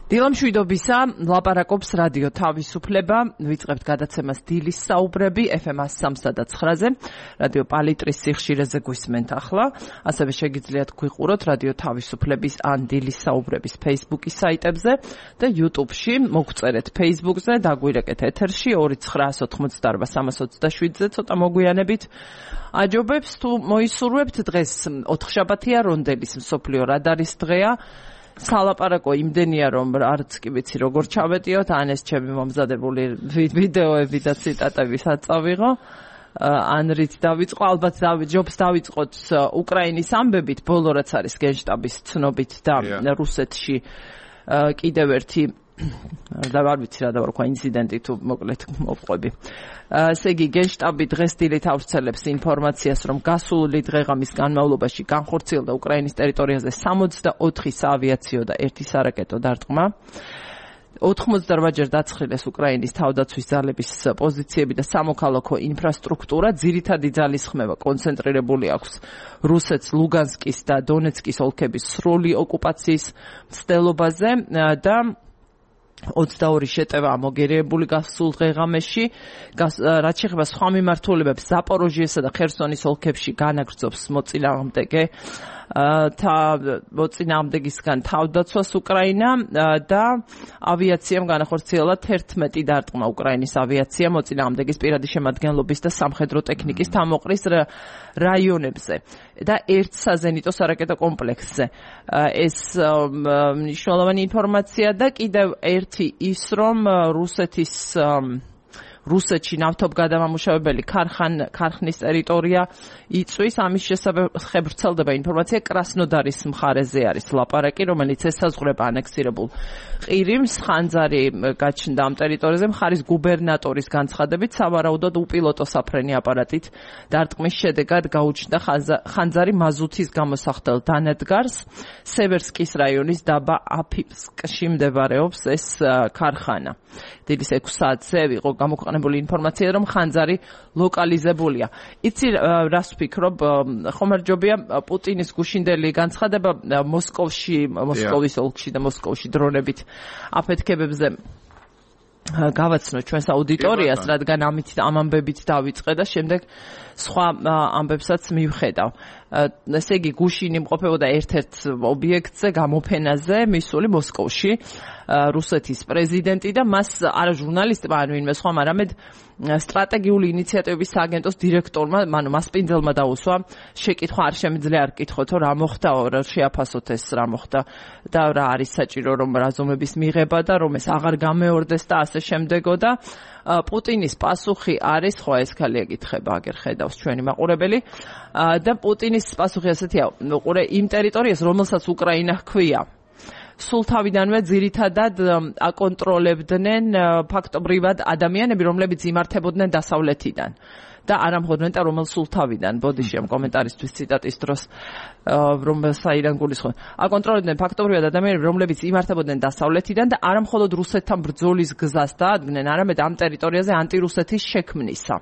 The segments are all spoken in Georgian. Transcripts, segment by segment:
დილამშვიდობისა, ლაპარაკობს რადიო თავისუფლება, ვიწყებთ გადაცემას დილის საუბრები FM 103.9-ზე, რადიო პალიტრის სიხშირეზე გვისმენთ ახლა, ასევე შეგიძლიათ გვიყუროთ რადიო თავისუფლების ან დილის საუბრების Facebook-ის საიტებზე და YouTube-ში, მოგწერეთ Facebook-ზე, დაგვირეკეთ ეთერში 2988-327-ზე, ცოტა მოგვიანებით აჯობებს თუ მოისურვებთ დღეს 4-შაბათია, რონდელის მსოფლიო რადარის დღეა. სალაპარაკო იმდენია რომ არც კი ვიცი როგორ ჩავეტიოთ, ან ეს ჩემი მომზადებული ვიდეოები და ციტატები საწავიღო, ან რით დავიწყო, ალბათ ჯობს დავიწყოთ უკრაინის ამბებით, ბოლო რაც არის გენშტაბის ცნობით და რუსეთში კიდევ ერთი და არ ვიცი რა დავარქვა ინციდენტი თუ მოკლედ მოვყვები. ესე იგი გენშტაბი დღეს დილით ავრცელებს ინფორმაციას, რომ გასული დღეღამის განმავლობაში განხორციელდა უკრაინის ტერიტორიაზე 64 საავიაციო და 1 სარაკეტო დარტყმა. 88-ჯერ დაცხრილეს უკრაინის თავდაცვის ძალების პოზიციები და სამოქალაქო ინფრასტრუქტურა, ძირითადი ძალის ხმევა კონცენტრირებული აქვს რუსეთს ლუგანსკის და დონეცკის ოლქების სრული ოკუპაციის მცდელობაზე და 22 შეტევა ამოგერიებული გასულ დღეღამეში, რაც შეეხება სხვა მიმართულებებს ზაპოროჟიესა და ხერსონის ოლქებში განაგრძობს მოწინააღმდეგისგან თავდაცვას უკრაინა და ავიაციამ განახორციელა 11 დარტყმა. უკრაინის ავიაცია მოწინააღმდეგის პირადი შემადგენლობის და სამხედრო ტექნიკის თავმოყრის რაიონებზე და ერთ საზენიტო სარაკეტო კომპლექსზე. ეს მნიშვნელოვანი ინფორმაცია და კიდევ ერთი ის, რომ რუსეთში ნავთობგადამამუშავებელი ქარხნის ტერიტორია იწვის, ამის შესახებ ვრცელდება ინფორმაცია, კრასნოდარის მხარეზე არის ლაპარაკი, რომელიც ესაზღვრება ანექსირებულ ყირიმს, ხანძარი გაჩნდა ამ ტერიტორიაზე, მხარის გუბერნატორის განცხადებით, სავარაუდოდ უპილოტო საფრენი აპარატით დარტყმის შედეგად გაუჩნდა ხანძარი მაზუთის გამოსახდელ დანადგარს, სევერსკის რაიონის დაბა აფიფსკში მდებარეობს ეს ქარხანა. დილის 6 საათზე ვიყო გამოქვეყნებული ინფორმაცია, რომ ხანძარი ლოკალიზებულია. იცი რას ვფიქრობ, ხომარჯობია პუტინის გუშინდელი განცხადება მოსკოვის ოლქში და მოსკოვში დრონებით აფეთქებებზე გავაცნო ჩვენს აუდიტორიას, რადგან ამ ამბებით დავიწყე და შემდეგ სხვა ამბებსაც მივხედავ. ესე იგი გუშინი იმყოფებოდა ერთ-ერთ ობიექტზე, გამოფენაზე, მისული მოსკოვში, რუსეთის პრეზიდენტი და მას არა ჟურნალისტმა, ან ვინმე სხვა, არამედ სტრატეგიული ინიციატივების სააგენტოს დირექტორმა, მასპინძელმა დაუსვა შეკითხვა, არ შემიძლია არ კითხოთო რა მოხდაო, რა შეაფასოთ ეს რა მოხდა და რა არის საჭირო რომ რაზომების მიღება და რომ ეს აღარ გამეორდეს და ასე შემდეგო და პუტინის პასუხი არის, ხო ეს ხალხი ეკითხება, აგერ ხედავს ჩვენი მაყურებელი და პუტინის პასუხი ასეთია, უყურე იმ ტერიტორიას, რომელსაც უკრაინა ჰქვია. სულ თავიდანვე ძირითადად აკონტროლებდნენ ფაქტობრივად ადამიანები, რომლებიც იმართებოდნენ დასავლეთიდან და არა მხოლოდ რომელ სულ თავიდან. ბოდიში ამ კომენტარისთვის ციტატის დროს საიდან გულისხმობ. აკონტროლებდნენ ფაქტობრივად ადამიანები, რომლებიც იმართებოდნენ დასავლეთიდან და არა მხოლოდ რუსეთთან ბრძოლის გზას დაადგნენ, არამედ ამ ტერიტორიაზე ანტირუსეთის შექმნისა.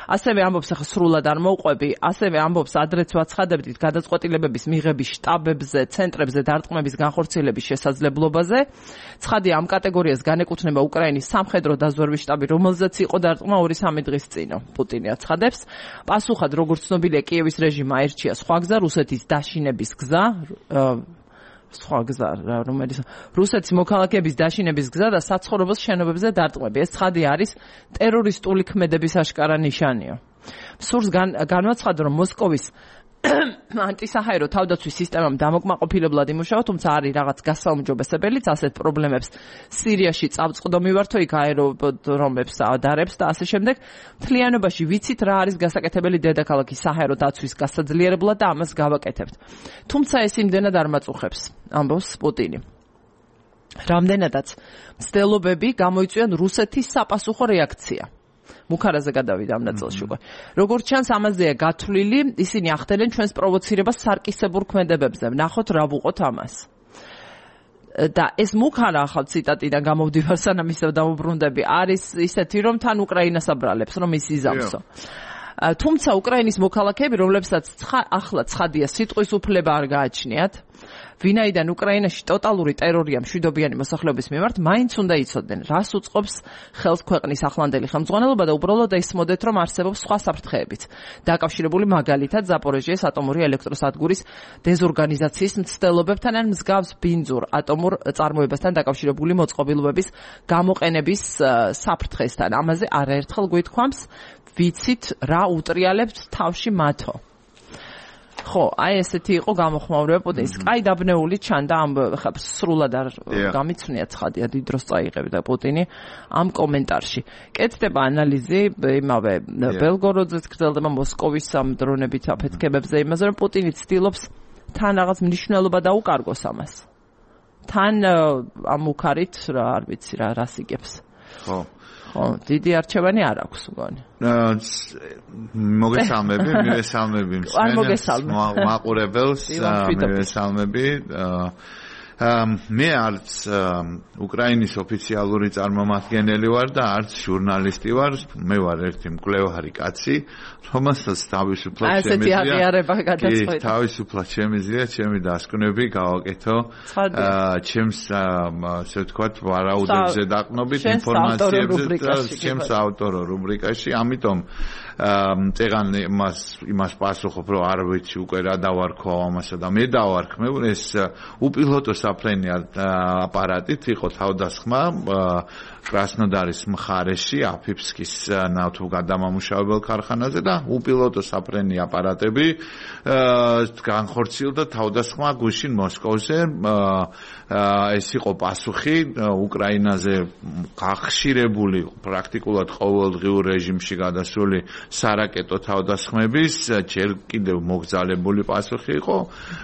ასევე ამბობს, ახლა სრულად არ მოვყვები, ასევე ამბობს ადრეც ვაცხადებდით გადაწყვეტილებების მიღების შტაბებზე, ცენტრებზე დარტყმების განხორციელების შესაძლებლობაზე. ცხადია, ამ კატეგორიას განეკუთვნება უკრაინის სამხედრო დაზვერვის შტაბი, რომელზეც იყო დარტყმა 2-3 დღის წინ, პუტინი აცხადებს. პასუხად, როგორც ცნობილია, კიევის რეჟიმმა აირჩია სხვა გზა, რუსეთის დაშინების გზა, რომელიც რუსეთის მოქალაქეების დაშინების გზა და საცხოვრებელ შენობებზე დარტყმები. ეს ცხადია არის ტერორისტული ქმედების აშკარა ნიშანია. სურს განვაცხადო, რომ მოსკოვის ანტისაჰაერო თავდაცვის სისტემამ დამოკმაყოფილებლად იმუშავა, თუმცა არის რაღაც გასაუმჯობესებელიც ასეთ პრობლემებს სირიაში წავწყდო მივართო, იქ აეროდრომებს ადარებს და ასე შემდეგ. მთლიანობაში ვიცით რა არის გასაკეთებელი დედაქალაქის საჰაერო დაცვის გასაძლიერებლად და ამას გავაკეთებთ. თუმცა ეს იმდენად არ მაწუხებს, ამბობს პუტინი. რამდენადაც მცდელობები გამოიწვიან რუსეთის საპასუხო რეაქცია. მუქარაზე გადავიდა ამ ნაწილში უკვე. როგორც ჩანს, ამაზეა გათვლილი, ისინი ახდენენ ჩვენს პროვოცირებას სარკისებურ ქმედებებზე. ვნახოთ რა ვუყოთ ამას. და ეს მუქარა ახალ ციტატიდან გამოვდივარ, სანამ ისევ დავუბრუნდები, არის ისეთი, რომ თან უკრაინას აბრალებს, რომ ის იზამსო. თუმცა უკრაინის მოქალაქეები, რომლებსაც ახლა ცხადია სიტყვის უფლება არ გააჩნიათ, ვინაიდან უკრაინაში ტოტალური ტერორია მშვიდობიანი მოსახლეობის მიმართ, მაინც უნდა იცოდნენ, რას უწყობს ხელს ქვეყნის ახლანდელი ხელმძღვანელობა და უბრალოდ ესმოდეთ, რომ არსებობს სხვა საფრთხეებიც, დაკავშირებული მაგალითად ზაპოროჟიეს ატომური ელექტროსადგურის დეზორგანიზაციის მცდელობებთან ან მსგავს ბინძურ ატომურ წარმოებასთან დაკავშირებული მოწყობილობების გამოყენების საფრთხესთან. ამაზე არაერთხელ გვითქვამს, ვიცით რა უტრიალებთ თავში მათო. ხო, აი ესეთი იყო გამოხმაურება პუტინის. კაი დაბნეული ჩანდა ამ სრულად არ გამიცნია ცხადია დიდ დროს წაიღებდა პუტინი ამ კომენტარში. კეთდება ანალიზი იმავე ბელგოროდზეც გრძელდება მოსკოვის ამ დრონებით აფეთქებებზე იმაზე რომ პუტინი ცდილობს თან რაღაც მნიშვნელობა დაუკარგოს ამას. თან ამ უქარით რა არ ვიცი რა რას იგებს. ხო დიდი არჩევანი არ აქვს მგონი. მოგესალმები, მივესალმები მაყურებელს, მივესალმები. მე არც უკრაინის ოფიციალური წარმომადგენელი ვარ და არც ჟურნალისტი ვარ, მე ვარ ერთი მკვლევარი კაცი, რომელსაც თავისუფლად შემიძლია ჩემი დასკვნები გავაკეთო ჩემს ასე ვთქვათ ვარაუდებზე დაყნობით ინფორმაციებზე და ჩემს ავტორო რუბრიკაში, ამიტომ წეგან იმას პასუხობ, რომ არ ვიცი უკვე რა დავარქვა ამასა და მე დავარქმევ ეს უპილოტო საფრენი აპარატით იყო თავდასხმა კრასნოდარის მხარეში აფიფსკის ნავთობ გადამამუშავებელ ქარხანაზე და უპილოტო საფრენი აპარატები განხორციელდა თავდასხმა გუშინ მოსკოვზე. ეს იყო პასუხი უკრაინაზე გახშირებული პრაქტიკულად ყოველდღიურ რეჟიმში გადასული სარაკეტო თავდასხმების ჯერ კიდევ მოგზალებული პასუხი იყო.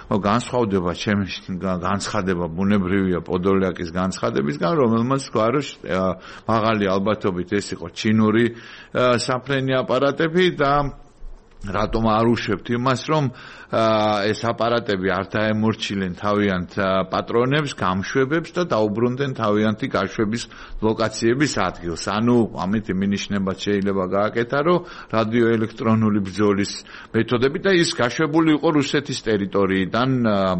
განსხვავდება ჩემი განცხადება ბუნებრივია პოდოლიაკის განცხადებისგან, რომელმაც თქვა, რომ მაღალი ალბათობით ეს იყო ჩინური საფრენი აპარატები და რატომ არ უშვებთ იმას, რომ ეს აპარატები არ დაემორჩილენ თავიანთ პატრონებს, გამშვებებს და დაუბრუნდნენ თავიანთი გაშვების ლოკაციების ადგილს. ანუ ამით მინიშნებად შეიძლება გააკეთა, რომ რადიოელექტრონული ბრძოლის მეთოდები და ის გაშვებული იყო რუსეთის ტერიტორიიდან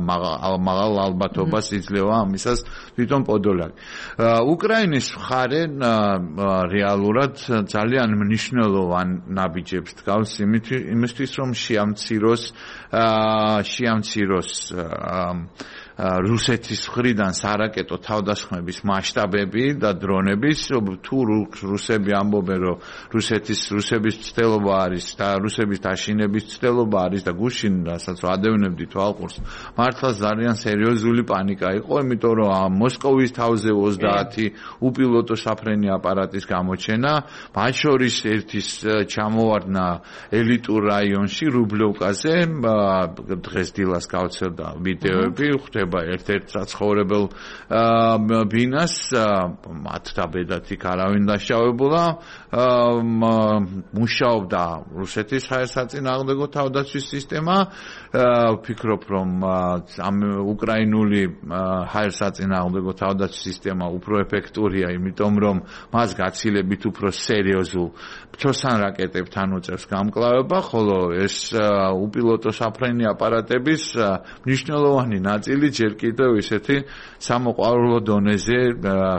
მაღალ ალბათობას იძლევა ამისას თვითონ პოდოლიაკი. უკრაინის მხარე რეალურად ძალიან მნიშვნელოვან ნაბიჯებს დგავს იმისთვის, რომ შეამციროს რუსეთის მხრიდან სარაკეტო თავდასხმების მასშტაბები და დრონების, თუ რუსები ამბობენ, რომ რუსების ცდელობა არის და რუსების დაშინების ცდელობა არის და გუშინ რასაც ვადევნებდით თვალყურს, მართლა ძალიან სერიოზული პანიკა იყო, იმიტომ რომ მოსკოვის თავზე 30 უპილოტო საფრენი აპარატის გამოჩენა, მათ შორის ერთის ჩამოვარდნა ელიტურ რაიონში რუბლოვკაზე, დღეს დილას გავცელდა ვიდეოები, ერთ-ერთ საცხოვრებელ ბინას, მათ დაბედათ იქ არავინ დაშავებულა, მუშაობდა რუსეთის საერთაშორისო თავდაცვის სისტემა. ვფიქრობ, რომ ამ უკრაინული საერთაშორისო თავდაცვის სისტემა უფრო ეფექტურია, იმიტომ რომ მას გაცილებით უფრო სერიოზულ ბჭოსან რაკეტებთან უწევს გამკლავება, ხოლო ეს უპილოტო საფრენი აპარატების მნიშვნელოვანი ნაწილი ჯერ კიდევ ისეთი სამოყვარულო დონეზე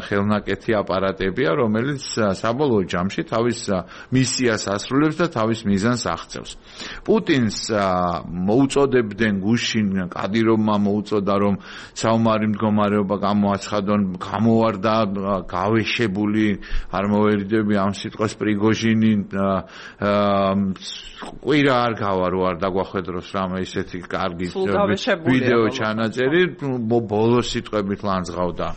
ხელნაკეთი აპარატებია, რომელიც საბოლოო ჯამში თავის მისიას ასრულებს და თავის მიზანს აღწევს. პუტინს მოუწოდებდნენ გუშინ, კადიროვმა მოუწოდა, რომ საომარი მდგომარეობა გამოაცხადონ, გამოვარდა გავეშებული, არ მოვერიდები ამ სიტყვას პრიგოჟინი, ყვირა არ გავა რო არ დაგვახედროს რამე ისეთი კარგი ვიდეო ჩანაწერი, ბოლო სიტყვებით ლანძღავდა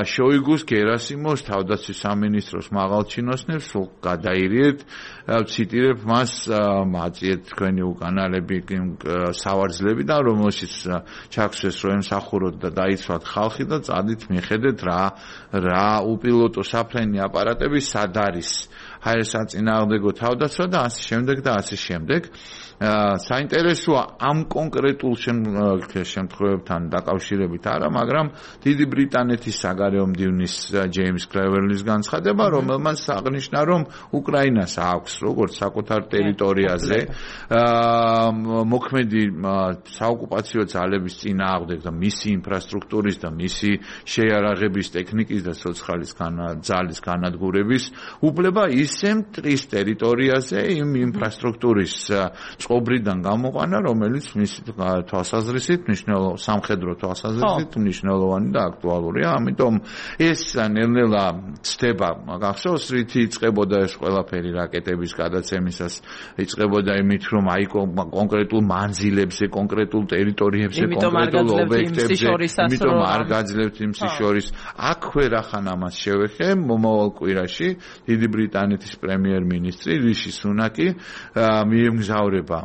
შოიგუს, გერასიმოს, თავდაცვის სამინისტროს მაღალჩინოსნებს, სულ გადაირიეთ, ვციტირებ მას, აწიეთ თქვენი უკანალები სავარძლები და რომელშიც ჩაგვსვეს, რომ ემსახუროთ და დაიცვათ ხალხი და წადით მიხედეთ რა უპილოტო საფრენი აპარატები სად არის. საწინააღმდეგო თავდაცვა და ასე შემდეგ და ასე შემდეგ. საინტერესოა ამ კონკრეტულ შემთხვევებთან დაკავშირებით არა, მაგრამ დიდი ბრიტანეთის საგარეო მდივნის ჯეიმს კლეველის განცხადება, რომელმაც აღნიშნა, რომ უკრაინას აქვს როგორც საკუთარ ტერიტორიაზე მოქმედი საოკუპაციო ძალების წინააღმდეგ და მისი ინფრასტრუქტურის და მისი შეიარაღების ტექნიკის და სოციალის ძალის განადგურების უფლება ისე მტრის ტერიტორიაზე იმ ინფრასტრუქტურის წყობრიდან გამოყვანა, რომელიც მისი თვალსაზრისით სამხედრო თვალსაზრისით მნიშვნელოვანი და აქტუალურია. ამიტომ ეს ნელ-ნელა ცდება გახსოვს, რითი იწყებოდა ეს ყველაფერი რაკეტების გადაცემისას, იწყებოდა იმით, რომ აი კონკრეტულ მანძილებზე, კონკრეტულ ტერიტორიებზე, კონკრეტულ ობიექტებზე, იმიტომ არ გაძლევთ იმ შორის. აქვე რახან ამას შევეხე მომავალ კვირაში დიდი ბრიტანეთის პრემიერ-მინისტრი რიში სუნაკი მიემგზავრება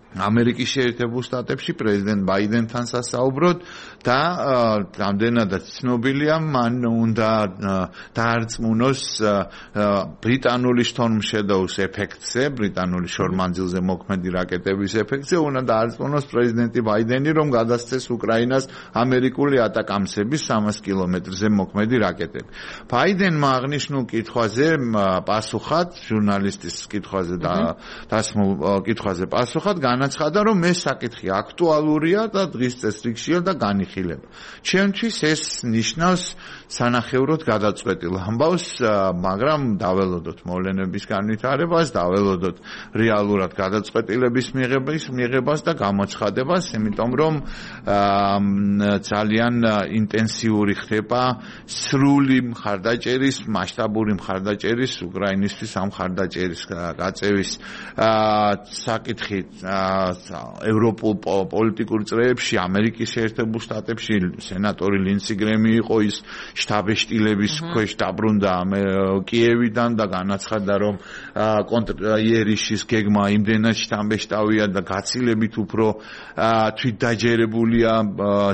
ამერიკის შეერთებულ შტატებში პრეზიდენტ ბაიდენთან სასაუბროდ და რამდენადაც ცნობილია მან უნდა დაარწმუნოს ბრიტანული შთორმშედოვის ეფექტზე, ბრიტანული შორმანძილზე მოქმედი რაკეტების ეფექტზე, უნდა დაარწმუნოს პრეზიდენტი ბაიდენი, რომ გადასცეს უკრაინას ამერიკული ატაკამსების 300 კილომეტრზე მოქმედი რაკეტები. ბაიდენმა აღნიშნულ კითხვაზე პასუხად, ჟურნალისტის კითხვაზე და დასმულ კითხვაზე პასუხად განაცხადა, რომ ეს საკითხი აქტუალურია და დღის წესრიგშია და განიხილება. ჩემთვის ეს ნიშნავს სანახევროდ გადაწყვეტილ ამბავს, მაგრამ დაველოდოთ მოვლენების განვითარებას, დაველოდოთ რეალურად გადაწყვეტილების მიღებას და გამოცხადებას, იმიტომ რომ ძალიან ინტენსიური ხდება სრული მხარდაჭერის, მასშტაბური მხარდაჭერის უკრაინისთვის ამ მხარდაჭერის გაწევის საკითხი ევროპულ პოლიტიკურ წრეებში, ამერიკის შეერთებულ შტატებში სენატორი ლინსი გრემი იყო ის შტაბ-ეშტილების ქვეშ დაბრუნდა კიევიდან და განაცხადა, რომ იერიშის გეგმა იმდენად შტაბ-ეშტავია და გაცილებით უფრო თვითდაჯერებულია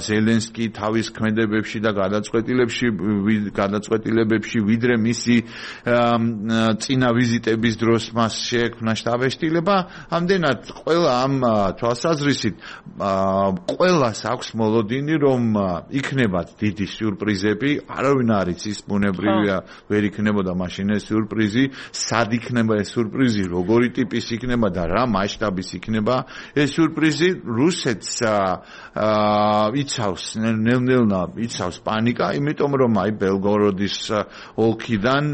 ზელენსკი თავის ქმედებებში და გადაწყვეტილებებში, ვიდრე მისი წინა ვიზიტების დროს მას შეექმნა შტაბ-ეშტილება. ამდენად ყველა ამ თვალსაზრისით ყველას აქვს მოლოდინი, რომ იქნებათ დიდი სიურპრიზები, არავინ არ იცის, ბუნებრივია ვერ იქნებოდა მაშინ ეს სიურპრიზი, სად იქნება ეს სიურპრიზი, როგორი ტიპის იქნება და რა მასშტაბის იქნება ეს სიურპრიზი. რუსეთს იცავს ნელ-ნელა იცავს პანიკა, იმიტომ რომ აი ბელგოროდის ოლქიდან,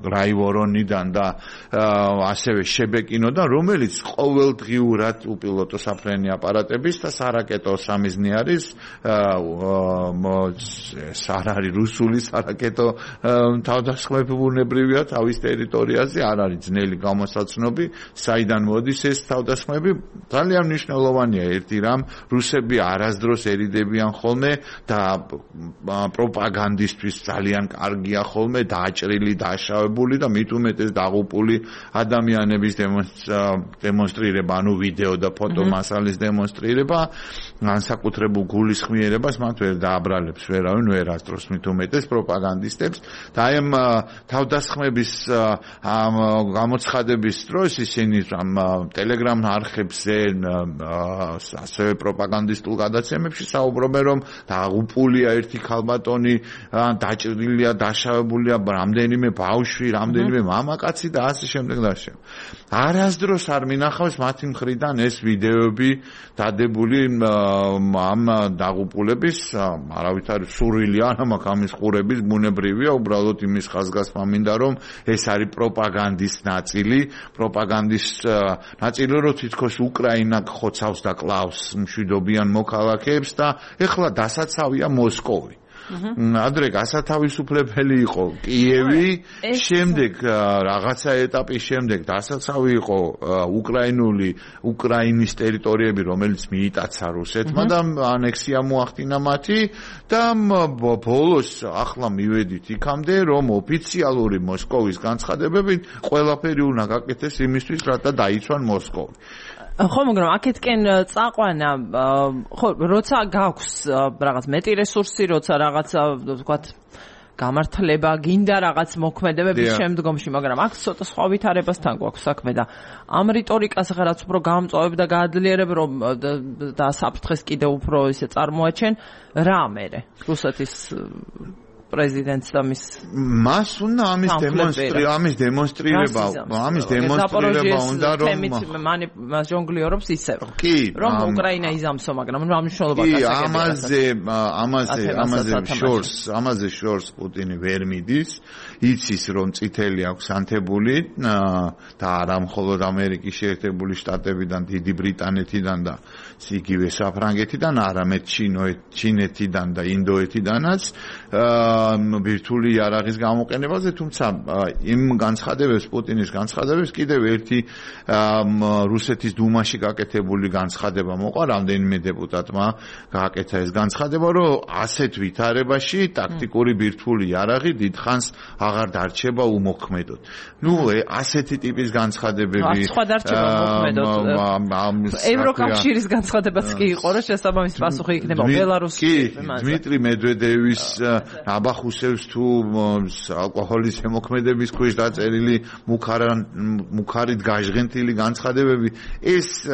გრაივორონიდან და ასევე შებეკინოდან, რომელიც ყოველდღიურად უპილოტო საფრენი აპარატების და სარაკეტო სამიზნე არის, არ არის რუსული სარაკეტო თავდასხმები ბუნებრივია თავის ტერიტორიაზე, არ არის ძნელი გამოსაცნობი, საიდან მოდის ეს თავდასხმები. ძალიან მნიშვნელოვანია ერთი რამ, რუსები არასდროს ერიდებიან ხოლმე და პროპაგანდისტვის ძალიან კარგია ხოლმე დაჭრილი, დაშავებული და მით უმეტეს დაღუპული ადამიანების დემონსტრირება, ანუ ვიდეო და ფოტო მასალის დემონსტრირება, განსაკუთრებულ გულისხმიერებას მათ ვერ დააბრალებს ვერავინ, ვერ ასწროს მით უმეტეს პროპაგანდისტებს და აი ამ თავდასხმების გამოცხადების დროს ისინი ტელეგრამ არხებზე, ასევე პროპაგანდისტულ გადაცემებში საუბრობენ, რომ დაღუპულია ერთი ქალბატონი, დაჭრილია, დაშავებულია რამდენიმე ბავშვი, რამდენიმე მამაკაცი და ასე შემდეგ და ასე. არასდროს არ მინახავს მათი მხრიდან ეს ვიდეოები დადებული ამ დაღუპულების, არავითარ სურვილი არ მაქვს ამის ყურების, ბუნებრივია, უბრალოდ იმის ხაზგასმა მინდა, რომ ეს არის პროპაგანდის ნაწილი, რომ თითქოს უკრაინა ხოცავს და კლავს მშვიდობიან მოქალაქეებს და ეხლა დასაცავია მოსკოვი. ადრე გასათავისუფლებელი იყო კიევი, შემდეგ რაღაცა ეტაპის შემდეგ დასაცავი იყო უკრაინის ტერიტორიები, რომელიც მიიტაცა რუსეთმა და ანექსია მოახდინა მათი და ბოლოს ახლა მივედით იქამდე, რომ ოფიციალური მოსკოვის განცხადებებით ყველაფერი უნდა გაკეთდეს იმისთვის, რათა დაიცვან მოსკოვი. ხო, მაგრამ აქეთკენ წაყვანა, ხო, როცა გაქვს რაღაც მეტი რესურსი, როცა რაღაცა, ვთქვათ, გამართლება, გინდა რაღაც მოქმედებების შემდგომში, მაგრამ აქ ცოტა სხვა ვითარებასთან გვაქვს საქმე და ამ რიტორიკას რაღაც უფრო გამწვავებ და გააძლიერებ, რომ და საფრთხეს კიდევ უფრო ისე წარმოაჩენ, რა მერე რუსეთის პრეზიდენტს და მას უნდა ამის დემონსტრირება უნდა რომ მას ჟონგლიორობს ისევ რომ უკრაინა იზამსო, მაგრამ რა მნიშვნელობა ამაზე შორს პუტინი ვერ მიდის, იცის რომ წითელი აქვს ანთებული და არა მხოლოდ ამერიკის შეერთებული შტატებიდან, დიდი ბრიტანეთიდან და იგივე საფრანგეთიდან, არამედ ჩინეთიდან და ინდოეთიდანაც ვირტუალური იარაღის გამოყენებაზე, თუმცა იმ განცხადებებს, პუტინის განცხადებებს კიდევ ერთი რუსეთის დუმაში გაკეთებული განცხადება მოყვა, რამდენიმე დეპუტატმა გააკეთა ეს განცხადება, რომ ასეთ ვითარებაში ტაქტიკური ვირტუალური იარაღი დიდხანს აღარ დარჩება უმოქმედოდ. ასეთი ტიპის განცხადებები სხვა დარჩება უმოქმედოდ. ევროკავშირის განცხადებაც კი იყო, რომ შესაბამისი პასუხი იქნება ბელარუსის. დმიტრი მედვედევის აბახუსევს თუ ალკოჰოლის შემოქმედების ქვეშ დაწერილი მუქარით გაჟღენთილი განცხადებები, ეს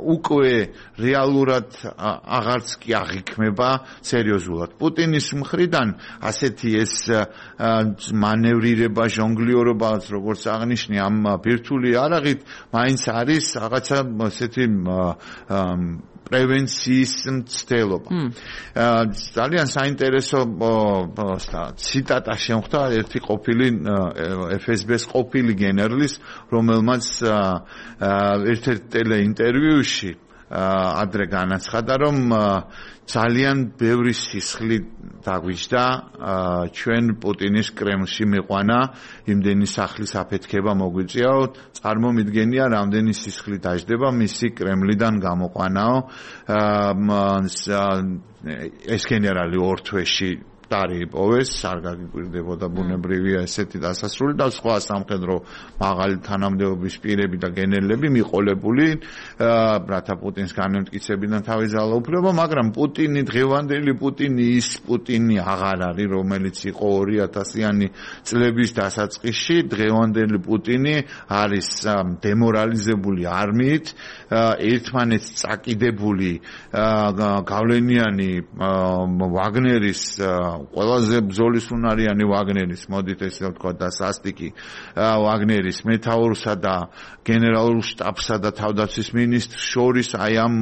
უკვე რეალურად აღარც კი აღიქმება სერიოზულად. პუტინის მხრიდან ასეთი ეს მანევრირება, ჟონგლიორობა, როგორც აღნიშნე ამ ვირტუალური იარაღით, მაინც არის რაღაცა ესეთი პრევენციის მცდელობა. ძალიან საინტერესო ციტატა შემხვდა ერთი ყოფილი FSB-ს ყოფილი გენერლის, რომელმაც ერთ-ერთ ტელეინტერვიუში ადრე განაცხადა, რომ ძალიან ბევრი სისხლი დაგვიჯდა ჩვენ პუტინის კრემლში მიყვანა, იმდენი სახლის აფეთქება მოგვიწიაო, წარმომიდგენია რამდენი სისხლი დაჯდება მისი კრემლიდან გამოყვანაო. ეს გენერალი ორ თვეში დაიპოვეს, არ გაგიკვირდებოდა ბუნებრივია ესეთი დასასრული და სხვა სამხედრო მაღალი თანამდებობის პირები და გენერლები მიყოლებული, რათა პუტინს განემტკიცებინა თავის ძალაუფლება, მაგრამ პუტინი, დღევანდელი პუტინი, ის პუტინი აღარ არის, რომელიც იყო 2000-იანი წლების დასაწყისში. დღევანდელი პუტინი არის დემორალიზებული არმიით, ერთმანეთს წაკიდებული გავლენიანი ვაგნერის ყველაზე ბრძოლისუნარიანი ვაგნერის, მოდით ესე ვთქვა, და სასტიკი ვაგნერის მეთაურსა და გენერალურ შტაბსა და თავდაცვის მინისტრს შორის აი ამ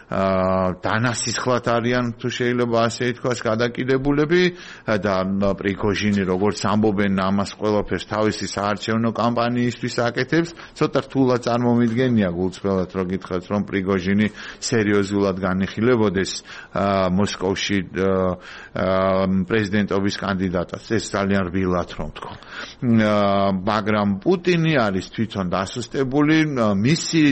დანასისხლად არიან, თუ შეიძლება ასე ითქვას, გადაკიდებულები და პრიგოჟინი, როგორც ამბობენ, ამას ყველაფერს თავისი საარჩევნო კამპანიისთვის აკეთებს. ცოტა რთულად წარმომიდგენია გულწრფელად, რომ გითხრათ, რომ პრიგოჟინი სერიოზულად განიხილებოდეს მოსკოვში პრეზიდენტობის კანდიდატად. ეს ძალიან რბილად რომ თქვა. მაგრამ პუტინი არის თვითონ დასუსტებული, მისი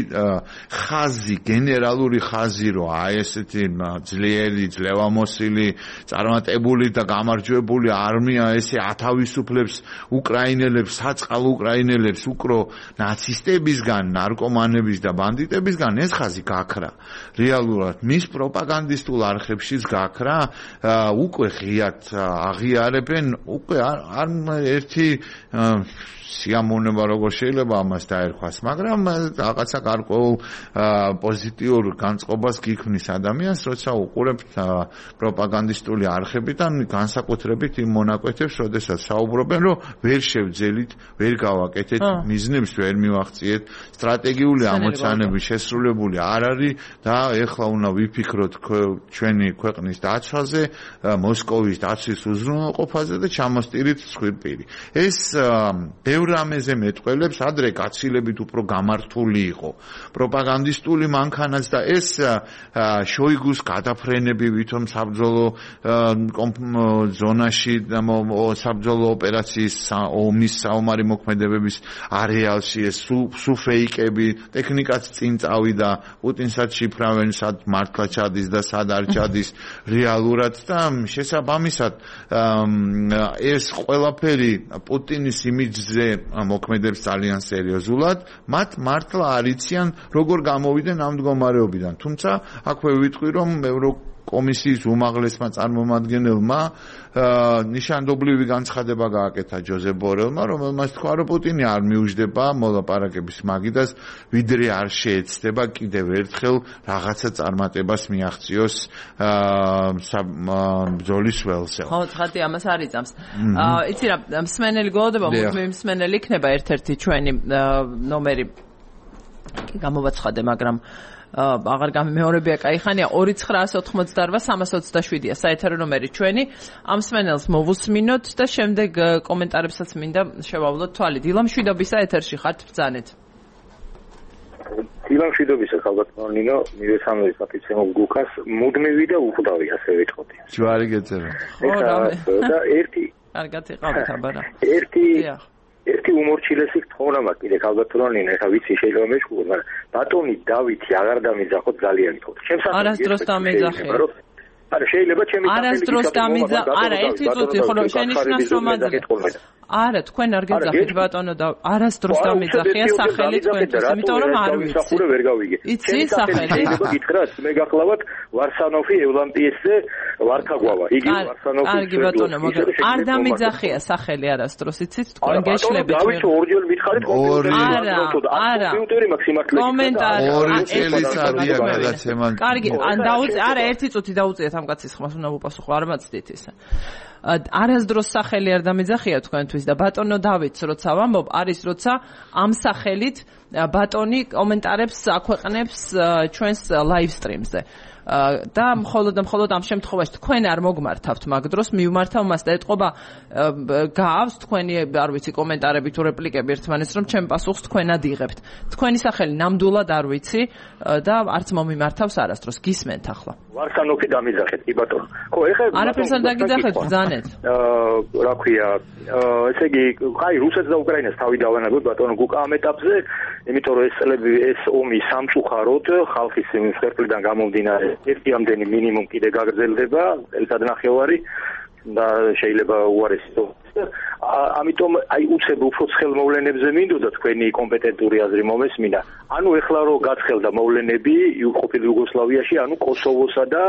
ხაზი, გენერალური ხაზი, რომ აი ესეთი ძლიერი, ძლევამოსილი, წარმატებული და გამარჯვებული არმია ესე ათავისუფლებს უკრაინელებს, საწყალ უკრაინელებს უკრო ნაცისტებისგან, ნარკომანების და ბანდიტებისგან, ეს ხაზი გაქრა. რეალურად მის პროპაგანდისტულ არხებშიც გაქრა, უკვე ღიად აღიარებენ, უკვე არ ერთი სიამოვნება როგორ შეიძლება ამას დაერქვას, მაგრამ რაღაცა გარკვეულ პოზიტიურ განწყობას გიქმნის ადამიანს, როცა უყურებთ პროპაგანდისტული არხებიდან, განსაკუთრებით იმ მონაკვეთებს, როდესაც საუბრობენ, რომ ვერ შევძელით, ვერ გავაკეთეთ, მიზნებს ვერ მივახციეთ, სტრატეგიული ამოცანები შესრულებული არ არის და ეხლა უნდა ვიფიქროთ ჩვენი ქვეყნის დაცვაზე, მოსკოვის დაცვის უზრუნველყოფაზე და ჩამოსტირით ცხვირპირი. ეს რამეზე მეტყველებს, ადრე გაცილებით უფრო გამართული იყო პროპაგანდისტული მანქანაც და ეს შოიგუს გადაფრენები ვითომ საბრძოლო ზონაში და საბრძოლო ოპერაციის ომის საომარი მოქმედებების არეალში ეს სუ ფეიკები, ტექნიკაც წინ წავიდა, პუტინსაც შიფრავენ, სად მართლა ჩადის და სად არ ჩადის რეალურად და შესაბამისად ეს ყველაფერი პუტინის იმიჯზე მოქმედებს ძალიან სერიოზულად, მათ მართლა არ იციან როგორ გამოვიდნენ ამ მდგომარეობიდან. თუმცა აქვე ვიტყვი, რომ კომისიის უმაღლესმა წარმომადგენელმა ნიშანდობლივი განცხადება გააკეთა ჯოზეფ ბორელმა, რომელმაც თქვა, რომ პუტინი არ მიუждდება მოლაპარაკების მაგიდას, ვიდრე არ შეეცდება კიდევ ერთხელ რაღაცა წარმატებას მიაღწიოს ბრძოლის ველზე. ხო, ცხადია, ამას არ იწამს. იცი რა, მსმენელი გველოდება, მსმენელი იქნება ერთ-ერთი ჩვენი ნომერი გამოვაცხადე, მაგრამ აღარ გამემეორებია კაიხანია 2988327-ია საეთერო ნომერი ჩვენი. ამ მსმენელს მოვუსმინოთ და შემდეგ კომენტარებსაც მინდა შევავლოთ თვალი. დილა მშვიდობისა, ეთერში ხართ, ბრძანეთ. დილა მშვიდობისა, ხალბატონო ნინო, მივესალმებით პატრიცემო გუკას, მუდმივი და უხდავი ასე ვიტყოდი. ჯვარი გეწერა. და ერთი კარგად იყავით აბარა. ერთი უმორჩილესი თხოვნა მაქვს კიდე ხალბატონო ნინო, ეხა ვიცი შეიძლება მეშკურო, მაგრამ ბატონი დავითი აღარ დამიძახოთ ძალიან თქო. არასდროს დამიძახე. არა შეიძლება ჩემი არასდროს დამიძახე. არა, ერთი წუთი, ხო შენიშნავს რომ არა, თქვენ არ გეძახით ბატონო და არასდროს დამიძახია სახელი თქვენთვის, იმიტომ რომ არ ვიცი. სახურე ვერ გავიგე. იცი სახელი? შეიძლება გითხრათ, მე გახლავთ ვარსანოფი ევლამპიესზე ვარქაგვავა. იგი ვარსანოფი. კარგი ბატონო, მაგრამ არ დამიძახია სახელი არასდროს, იცით? თქვენ გეშლებით. დავით ორჯერ მითხარით არა. კომპიუტერი მაქვს სიმართლე. კომენტარი. ორი წელიწადია გადაცემა. კარგი, ან დაუწე, არა, ერთი წუთი დაუწიეთ ამ კაცის ხმას, უნდა უპასუხო, არ მაცდით ისე. არასდროს სახელი არ დამიძახია თქვენთვის და ბატონო დავითს როცა ვამბობ არის როცა ამ სახელით ბატონი კომენტარებს აქვეყნებს ჩვენს live stream-ზე და მხოლოდ ამ შემთხვევაში თქვენ არ მოგმართავთ მაგ დროს მივმართავ მას და ეთყობა გაავს თქვენი არ ვიცი კომენტარები თუ რეპლიკები ერთმანეთს რომ ჩემ პასუხს თქვენად იღებთ თქვენი სახელი ნამდვილად არ ვიცი და არც მომიმართავს არასდროს გისმენთ ახლა ვარსანოფი დამიძახეთ კი ბატონო ხო ეხლა არაფერს არ დაგიძახეთ ბრძანეთ რა ქვია ესე იგი აი რუსეთს და უკრაინას თავი დავანაგოთ ბატონო გუკა ამ ეტაპზე იმიტომ რომ ეს წლები ეს ომი სამწუხაროდ ხალხის მსხვერპლიდან გამომდინარე ერთი ამდენი მინიმუმ კიდე გაგრძელდება წელიწადნახევარი და შეიძლება უარესი ამიტომ აი უცებ უფრო ცხელმოვლენებზე მინდოდა თქვენი კომპეტენტური აზრი მომესმინა ანუ ეხლა რო გაცხელდა მოვლენები ყოფილი იუგოსლავიაში ანუ კოსოვოსა და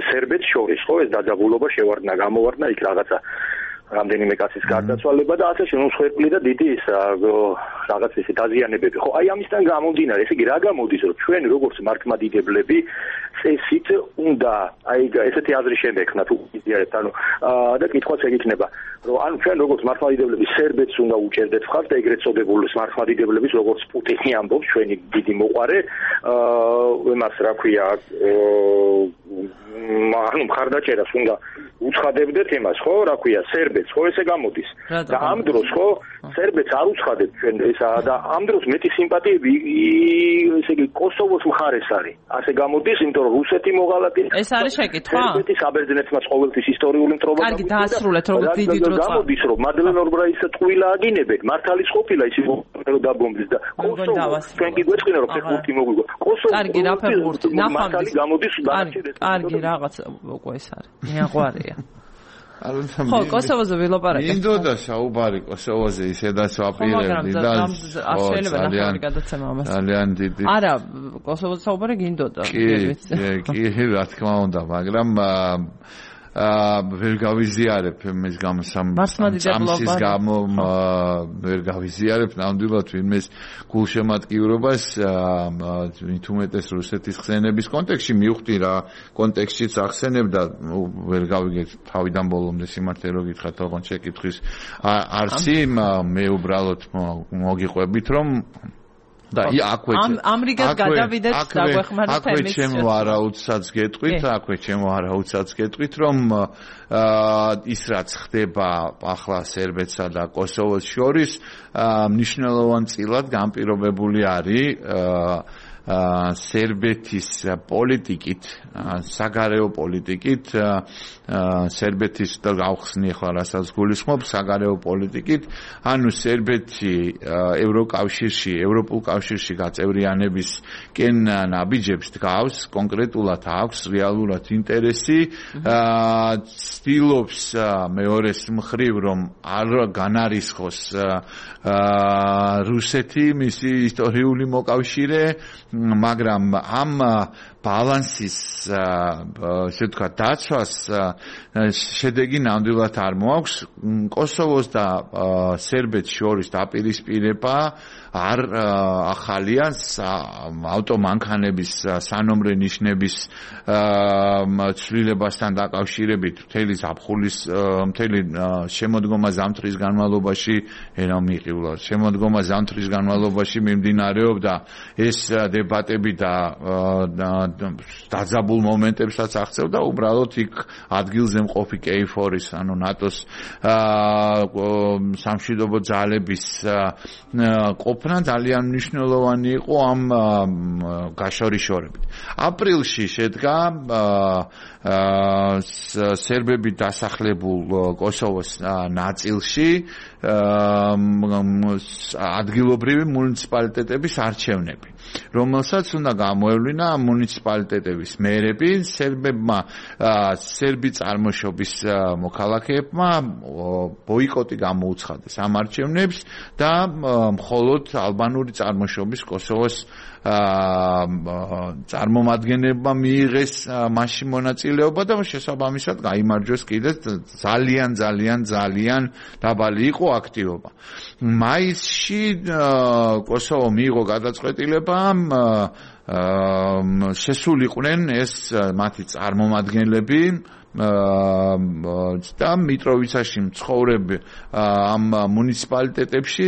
სერბეთს შორის ხო ეს დაძაბულობა შევარდნა გამოვარდნა იქ რაღაცა რამდენიმე კაცის გარდაცვალება და ასე შემო მსხვერპლი და დიდი ის რაღაც ისე დაზიანებები ხო აი ამისთან გამომდინარე ესე იგი რა გამოდის რომ ჩვენ როგორც მართლმადიდებლები წესით უნდა აი ესეთი აზრი შევექნათ უზიარეთ ანუ და კითხვაც ეგ იქნება რომ ანუ ჩვენ როგორც მართლმადიდებლები სერბეთს უნდა უჭერდეთ მხარს და ეგრეთ წოდებულ მართლმადიდებლების როგორც პუტინი ამბობს ჩვენი დიდი მოყარე იმას რა ქვია ანუ მხარდაჭერას უნდა უცხადებდეთ იმას ხო რა ქვია სერბეთს ხო ესე გამოდის და ამ დროს ხო სერბეთს არ უცხადებთ ჩვენ ესა და ამ დროს მეტი სიმპათიები ესე იგი კოსოვოს მხარეს არის ასე გამოდის იმიტომ რომ რუსეთი მოღალატე ეს არის შეკითხვა სერბეთის საბერძნეთმაც ყოველთვის ისტორიული მტრობა კარგი დაასრულეთ როგორც დიდი დრო გამოდის რომ მადლენ ორბრაის ტყუილა აგინებენ მართალის ყოფილა ის რომ დაბომბეს და კოსოვოს ჩვენ კი გვეწყინა რომ ფეხბურთი მოგვიგო კოსოვოს კარგი რა ფეხბურთი მართალი გამოდის კარგი რაღაც უკვე ეს არის მეაყვარია ხო კოსოვოზე ვილაპარაკე მინდოდა საუბარი კოსოვოზე ისედაც ვაპირებდი და შეიძლება ნახევარი გადაცემა ამას ძალიან დიდი არა კოსოვოზე საუბარი გინდოდა კი რა თქმა უნდა მაგრამ ვერ გავიზიარებ მის გამოსამის გამო ვერ გავიზიარებ ნამდვილად ვინმეს გულშემატკივრობას თუმეტეს რუსეთის ხსენების კონტექსტში მივხვდი რა კონტექსტშიც ახსენებ და ვერ გავიგეთ თავიდან ბოლომდე სიმართლე რო გითხრათ ოღონდ შეკითხვის არსი მე უბრალოდ მოგიყვებით რომ და აქვე ამრიგად გადავიდეთ დაგვეხმაროთ აქვე ჩემო არაუდსაც გეტყვით აქვე ჩემო არაუდსაც გეტყვით რომ ის რაც ხდება ახლა სერბეთსა და კოსოვოს შორის მნიშვნელოვანწილად განპირობებული არის სერბეთის პოლიტიკით, საგარეო პოლიტიკით, სერბეთის და გავხსნი ახლა რასაც გულისხმობ, საგარეო პოლიტიკით, ანუ სერბეთი ევროპულ კავშირში გაწევრიანებისკენ ნაბიჯებს დგავს, კონკრეტულად აქვს რეალურად ინტერესი, ცდილობს მეორეს მხრივ რომ არ განარისხოს რუსეთი მისი ისტორიული მოკავშირე მაგრამ ამ ბალანსის ესე ვთქვათ დაცვას შედეგი ნამდვილად არ მოაქვს. კოსოვოს და სერბეთს შორის დაპირისპირება არ ახალია ავტომანქანების სანომრე ნიშნების ცვლილებასთან დაკავშირებით მთელი ზაფხულის მთელი შემოდგომა ზამთრის განმავლობაში მიყივლა შემოდგომა ზამთრის განმავლობაში მიმდინარეობდა ეს დებატები და დაძაბულ მომენტებსაც აღწევდა უბრალოდ იქ ადგილზე მყოფი KFOR-ის ანუ ნატოს სამშვიდობო ძალების ყოფნა ძალიან მნიშვნელოვანი იყო ამ გაშორიშორებით. აპრილში შედგა სერბები დასახლებულ კოსოვოს ნაწილში ადგილობრივი მუნიციპალიტეტების არჩევნები, რომელსაც უნდა გამოევლინა მუნიციპალიტეტების მერები. სერბებმა სერბი წარმოშობის მოქალაქეებმა ბოიკოტი გამოუცხადეს ამ არჩევნებს და მხოლოდ ალბანური წარმოშობის კოსოვოს წარმომადგენლებმა მიიღეს მასში მონაწილეობა და შესაბამისად გაიმარჯვეს კიდეც ძალიან დაბალი იყო აქტივობა. მაისში კოსოვო მიიღო გადაწყვეტილება შესულიყვნენ ეს მათი წარმომადგენლები და მიტროვიცაში მცხოვრები ამ მუნიციპალიტეტებში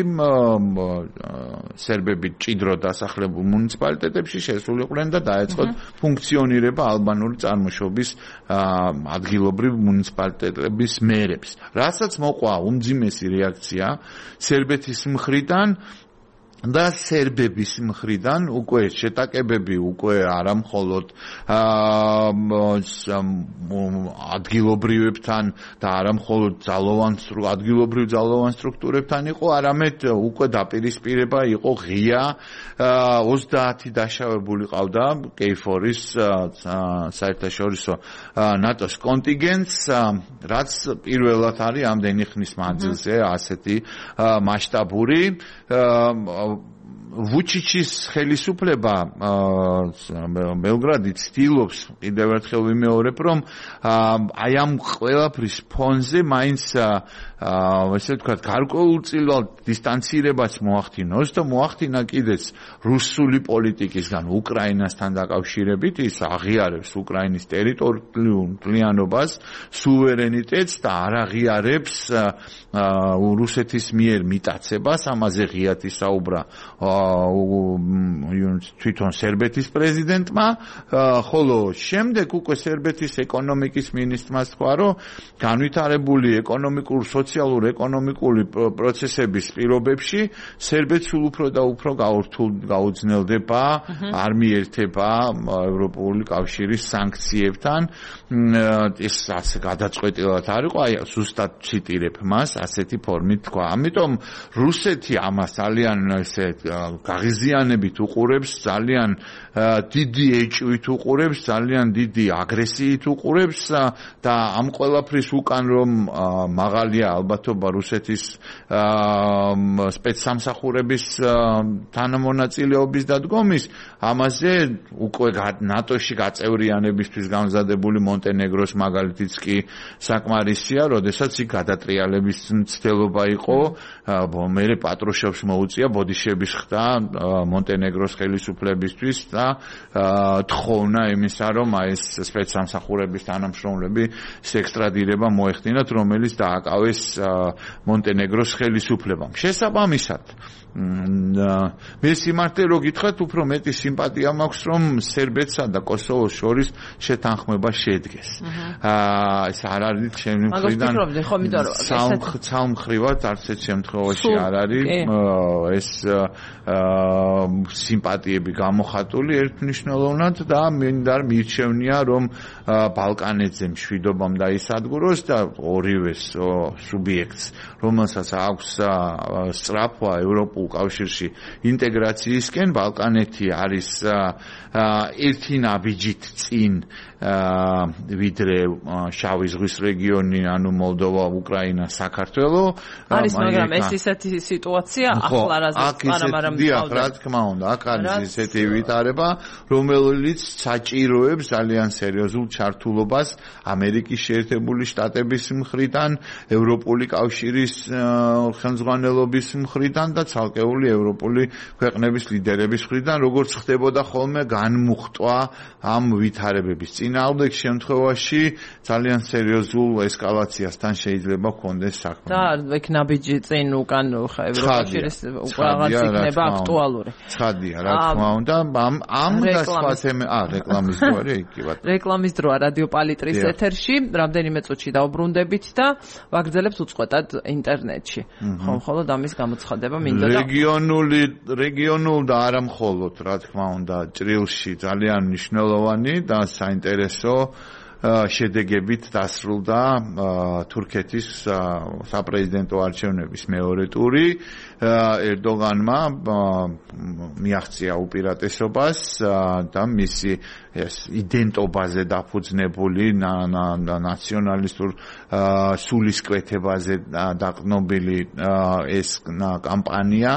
სერბები ჭიდრო დასახლებულ მუნიციპალიტეტებში შესულიყვნენ და დაეწყოთ ფუნქციონირება ალბანური წარმოშობის ადგილობრივ მუნიციპალიტეტების მერებს. რასაც მოყვა უმძიმესი რეაქცია სერბეთის მხრიდან და სერბების მხრიდან უკვე შეტაკებები უკვე არა მხოლოდ ადგილობრივებთან და არა მხოლოდ ადგილობრივ ძალოვან სტრუქტურებთან იყო, არამედ უკვე დაპირისპირება იყო ღია 30 დაშავებული ყავდა KFOR-ის საერთაშორისო ნატოს კონტინგენტს, რაც პირველად არის ამდენი ხნის მანძილზე ასეთი მასშტაბური ვუჩიჩის ხელისუფლება ბელგრადი ცდილობს კიდევ ერთხელ ვიმეორებ რომ აი ამ ყველაფრის ფონზე მაინც ესე ვთქვათ გარკვეულწილად დისტანცირებაც მოახდინოს და მოახდინა კიდეც რუსული პოლიტიკისგან უკრაინასთან დაკავშირებით. ის აღიარებს უკრაინის ტერიტორიულობას, სუვერენიტეტს და არ აღიარებს რუსეთის მიერ მიტაცებას. ამაზე ღიად ისაუბრა თვითონ სერბეთის პრეზიდენტმა, ხოლო შემდეგ უკვე სერბეთის ეკონომიკის მინისტრმა თქვა, რომ განვითარებული სოციალურ-ეკონომიკური პროცესების პირობებში სერბეთს სულ უფრო და უფრო გაუძნელდება, არ მიერთება ევროპული კავშირის სანქციებთან. ეს ასე გადაწყვეტილად არ იყო, აი ზუსტად ციტირებ მას, ასეთი ფორმით თქვა. ამიტომ რუსეთი ამას ძალიან ესე გაღიზიანებით უყურებს, ძალიან დიდი ეჭვით უყურებს, ძალიან დიდი აგრესიით უყურებს და ამ ყველაფრის უკან რომ მაღალია ალბათობა რუსეთის სპეცსამსახურების თანამონაწილეობის დადგომის, ამაზე უკვე ნატოში გაწევრიანებისთვის გამზადებული მონტენეგროს მაგალითიც კი საკმარისია, როდესაც იქ გადატრიალების მცდელობა იყო, მერე პატრუშევს მოუწია ბოდიშების ხდა მონტენეგროს ხელისუფლებისთვის და თხოვნა იმისა, რომ ეს სპეცსამსახურების თანამშრომლები ექსტრადირება მოეხდინათ, რომელიც დააკავეს მონტენეგროს ხელისუფლებამ. შესაბამისად მე სიმართლე რო გითხრათ, უფრო მეტი სიმპათია მაქვს, რომ სერბეთსა და კოსოვოს შორის შეთანხმება შედგეს. ეს არ არის ჩემი მხრიდან ცალმხრივად არც ერთ შემთხვევაში არ არის ეს სიმპათიები გამოხატული ერთმნიშვნელოვნად და მინდა მირჩევნია, რომ ბალკანეთზე მშვიდობამ დაისადგუროს და ორივე სუბიექტს, რომელსაც აქვს სწრაფვა ევროპულ კავშირში ინტეგრაციისკენ, ბალკანეთი არის ერთი ნაბიჯით წინ ვიდრე შავი ზღვის რეგიონი, ანუ მოლდოვა, უკრაინა, საქართველო. არის, მაგრამ ეს ისეთი სიტუაცია ახლა რაზეც პანამარა დიახ, რა თქმა უნდა, აქ არის ესეთი ვითარება, რომელიც საჭიროებს ძალიან სერიოზულ ჩართულობას ამერიკის შეერთებული შტატების მხრიდან, ევროპული კავშირის ხელმძღვანელობის მხრიდან და ცალკეული ევროპული ქვეყნების ლიდერების მხრიდან, როგორც ხდებოდა ხოლმე განმუხტვა ამ ვითარებების წინააღმდეგ შემთხვევაში ძალიან სერიოზულ ესკალაციასთან შეიძლება ჰქონდეს საქმე. და ეგ ნაბიჯი წინ უკან ევროკავშირის რაღაც იქნება აქტუალური. ცხადია, რა თქმა უნდა, ამ და სხვა რეკლამის დროა იქ კი ბატონო. რეკლამის დროა რადიო პალიტრის ეთერში, რამდენიმე წუთში დავბრუნდებით და ვაგრძელებთ უწყვეტად ინტერნეტში. ხომ მხოლოდ ამის გამოცხადება მინდა და რეგიონულ და არა მხოლოდ, რა თქმა უნდა, ჭრილში ძალიან მნიშვნელოვანი და საინტერესო შედეგებით დასრულდა თურქეთის საპრეზიდენტო არჩევნების მეორე ტური. ერდოგანმა მიაღწია უპირატესობას და მისი იდენტობაზე დაფუძნებული ნაციონალისტურ სულისკვეთებაზე დაყნობილი ეს კამპანია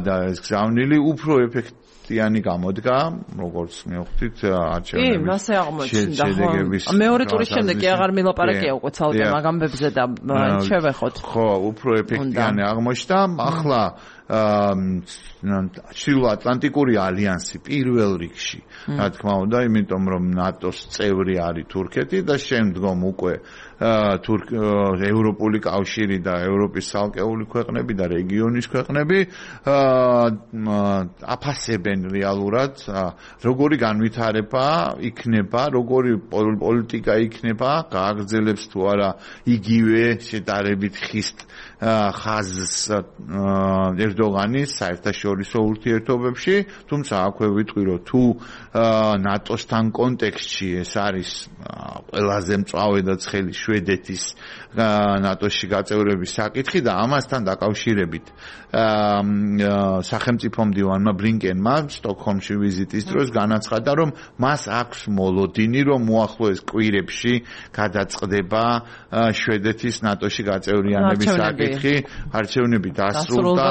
და ეს გზავნილი უფრო ეფექტიანი გამოდგა, როგორც მივხვდით არჩევნების. კი, მასე აღმოჩნდა. მეორე ტურის შემდეგ კი აღარ მილაპარაკია უკვე ცალკე მაგამბებზე და შევეხოთ. ხო, უფრო ეფექტიანი აღმოჩნდა. ახლა ჩრდილოატლანტიკური ალიანსი პირველ რიგში, რა თქმა უნდა, იმიტომ რომ ნატოს წევრი არის თურქეთი და შემდგომ უკვე ევროპული კავშირი და ევროპის ცალკეული ქვეყნები და რეგიონის ქვეყნები აფასებენ რეალურად როგორი განვითარება იქნება, როგორი პოლიტიკა იქნება, გააგრძელებს თუ არა იგივე შედარებით ხისტ ხაზს ერდოგანის საერთაშორისო ურთიერთობებში, თუმცა აქვე ვიტყვი რომ თუ ნატოსთან კონტექსტში ეს არის ყველაზე მწვავე და ცხელი შვედეთის ნატოში გაწევრების საკითხი და ამასთან დაკავშირებით სახელმწიფო მდივანმა ბრინკენმა სტოკჰოლმში ვიზიტის დროს განაცხადა რომ მას აქვს მოლოდინი რომ უახლოეს კვირებში გადაწყდება შვედეთის ნატოში გაწევრიანების საკითხი, არჩევნები დასრულდა.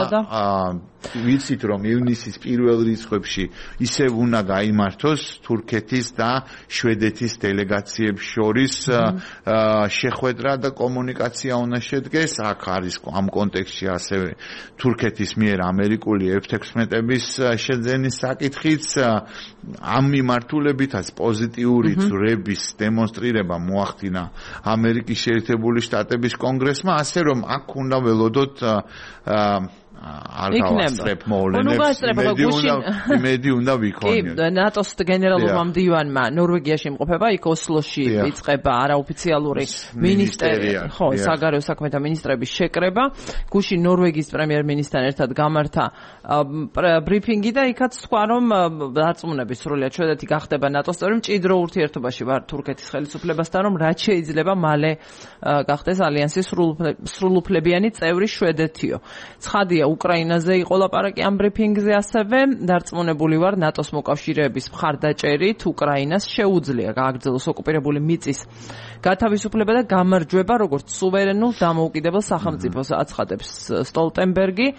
ვიცით რომ ივნისის პირველ რიცხვებში ისევ უნდა გაიმართოს თურქეთის და შვედეთის დელეგაციებს შორის შეხვედრა და კომუნიკაცია უნდა შედგეს. აქ არის ამ კონტექსტში ასევე თურქეთის მიერ ამერიკული F-16-ების შეძენის საკითხიც. ამ მიმართულებითაც პოზიტიური ძვრების დემონსტრირება მოახდინა ამერიკის შეერთებული შტატების კონგრესმა, ასე რომ აქ უნდა ველოდოთ არ გავასწრებ მოვლენებს, იმედი უნდა ვიქონიოთ. კი, ნატოს გენერალურმა მდივანმა ნორვეგიაში იმყოფება, იქ ოსლოში იწყება არაოფიციალური მინისტრია, ხო, საგარეო საქმეთა მინისტრების შეკრება. გუშინ ნორვეგიის პრემიერ-მინისტრთან ერთად გამართა ბრიფინგი და იქაც თქვა, რომ დარწმუნების სრულიად შვედეთი გახდება ნატოს წევრი, მჭიდრო ურთიერთობაში ვარ თურქეთის ხელისუფლებასთან, რომ რაც შეიძლება მალე გახდეს ალიანსის სრულუფლებიანი წევრი შვედეთიო. ცხადია უკრაინაზე იყო ლაპარაკი ამ ბრიფინგზე ასევე დარწმუნებული ვარ ნატოს მოკავშირეების მხარდაჭერით უკრაინას შეუძლია გააგრძელოს ოკუპირებული მიწის გათავისუფლება და გამარჯვება როგორც სუვერენულ დამოუკიდებელ სახელმწიფოს აცხადებს სტოლტენბერგი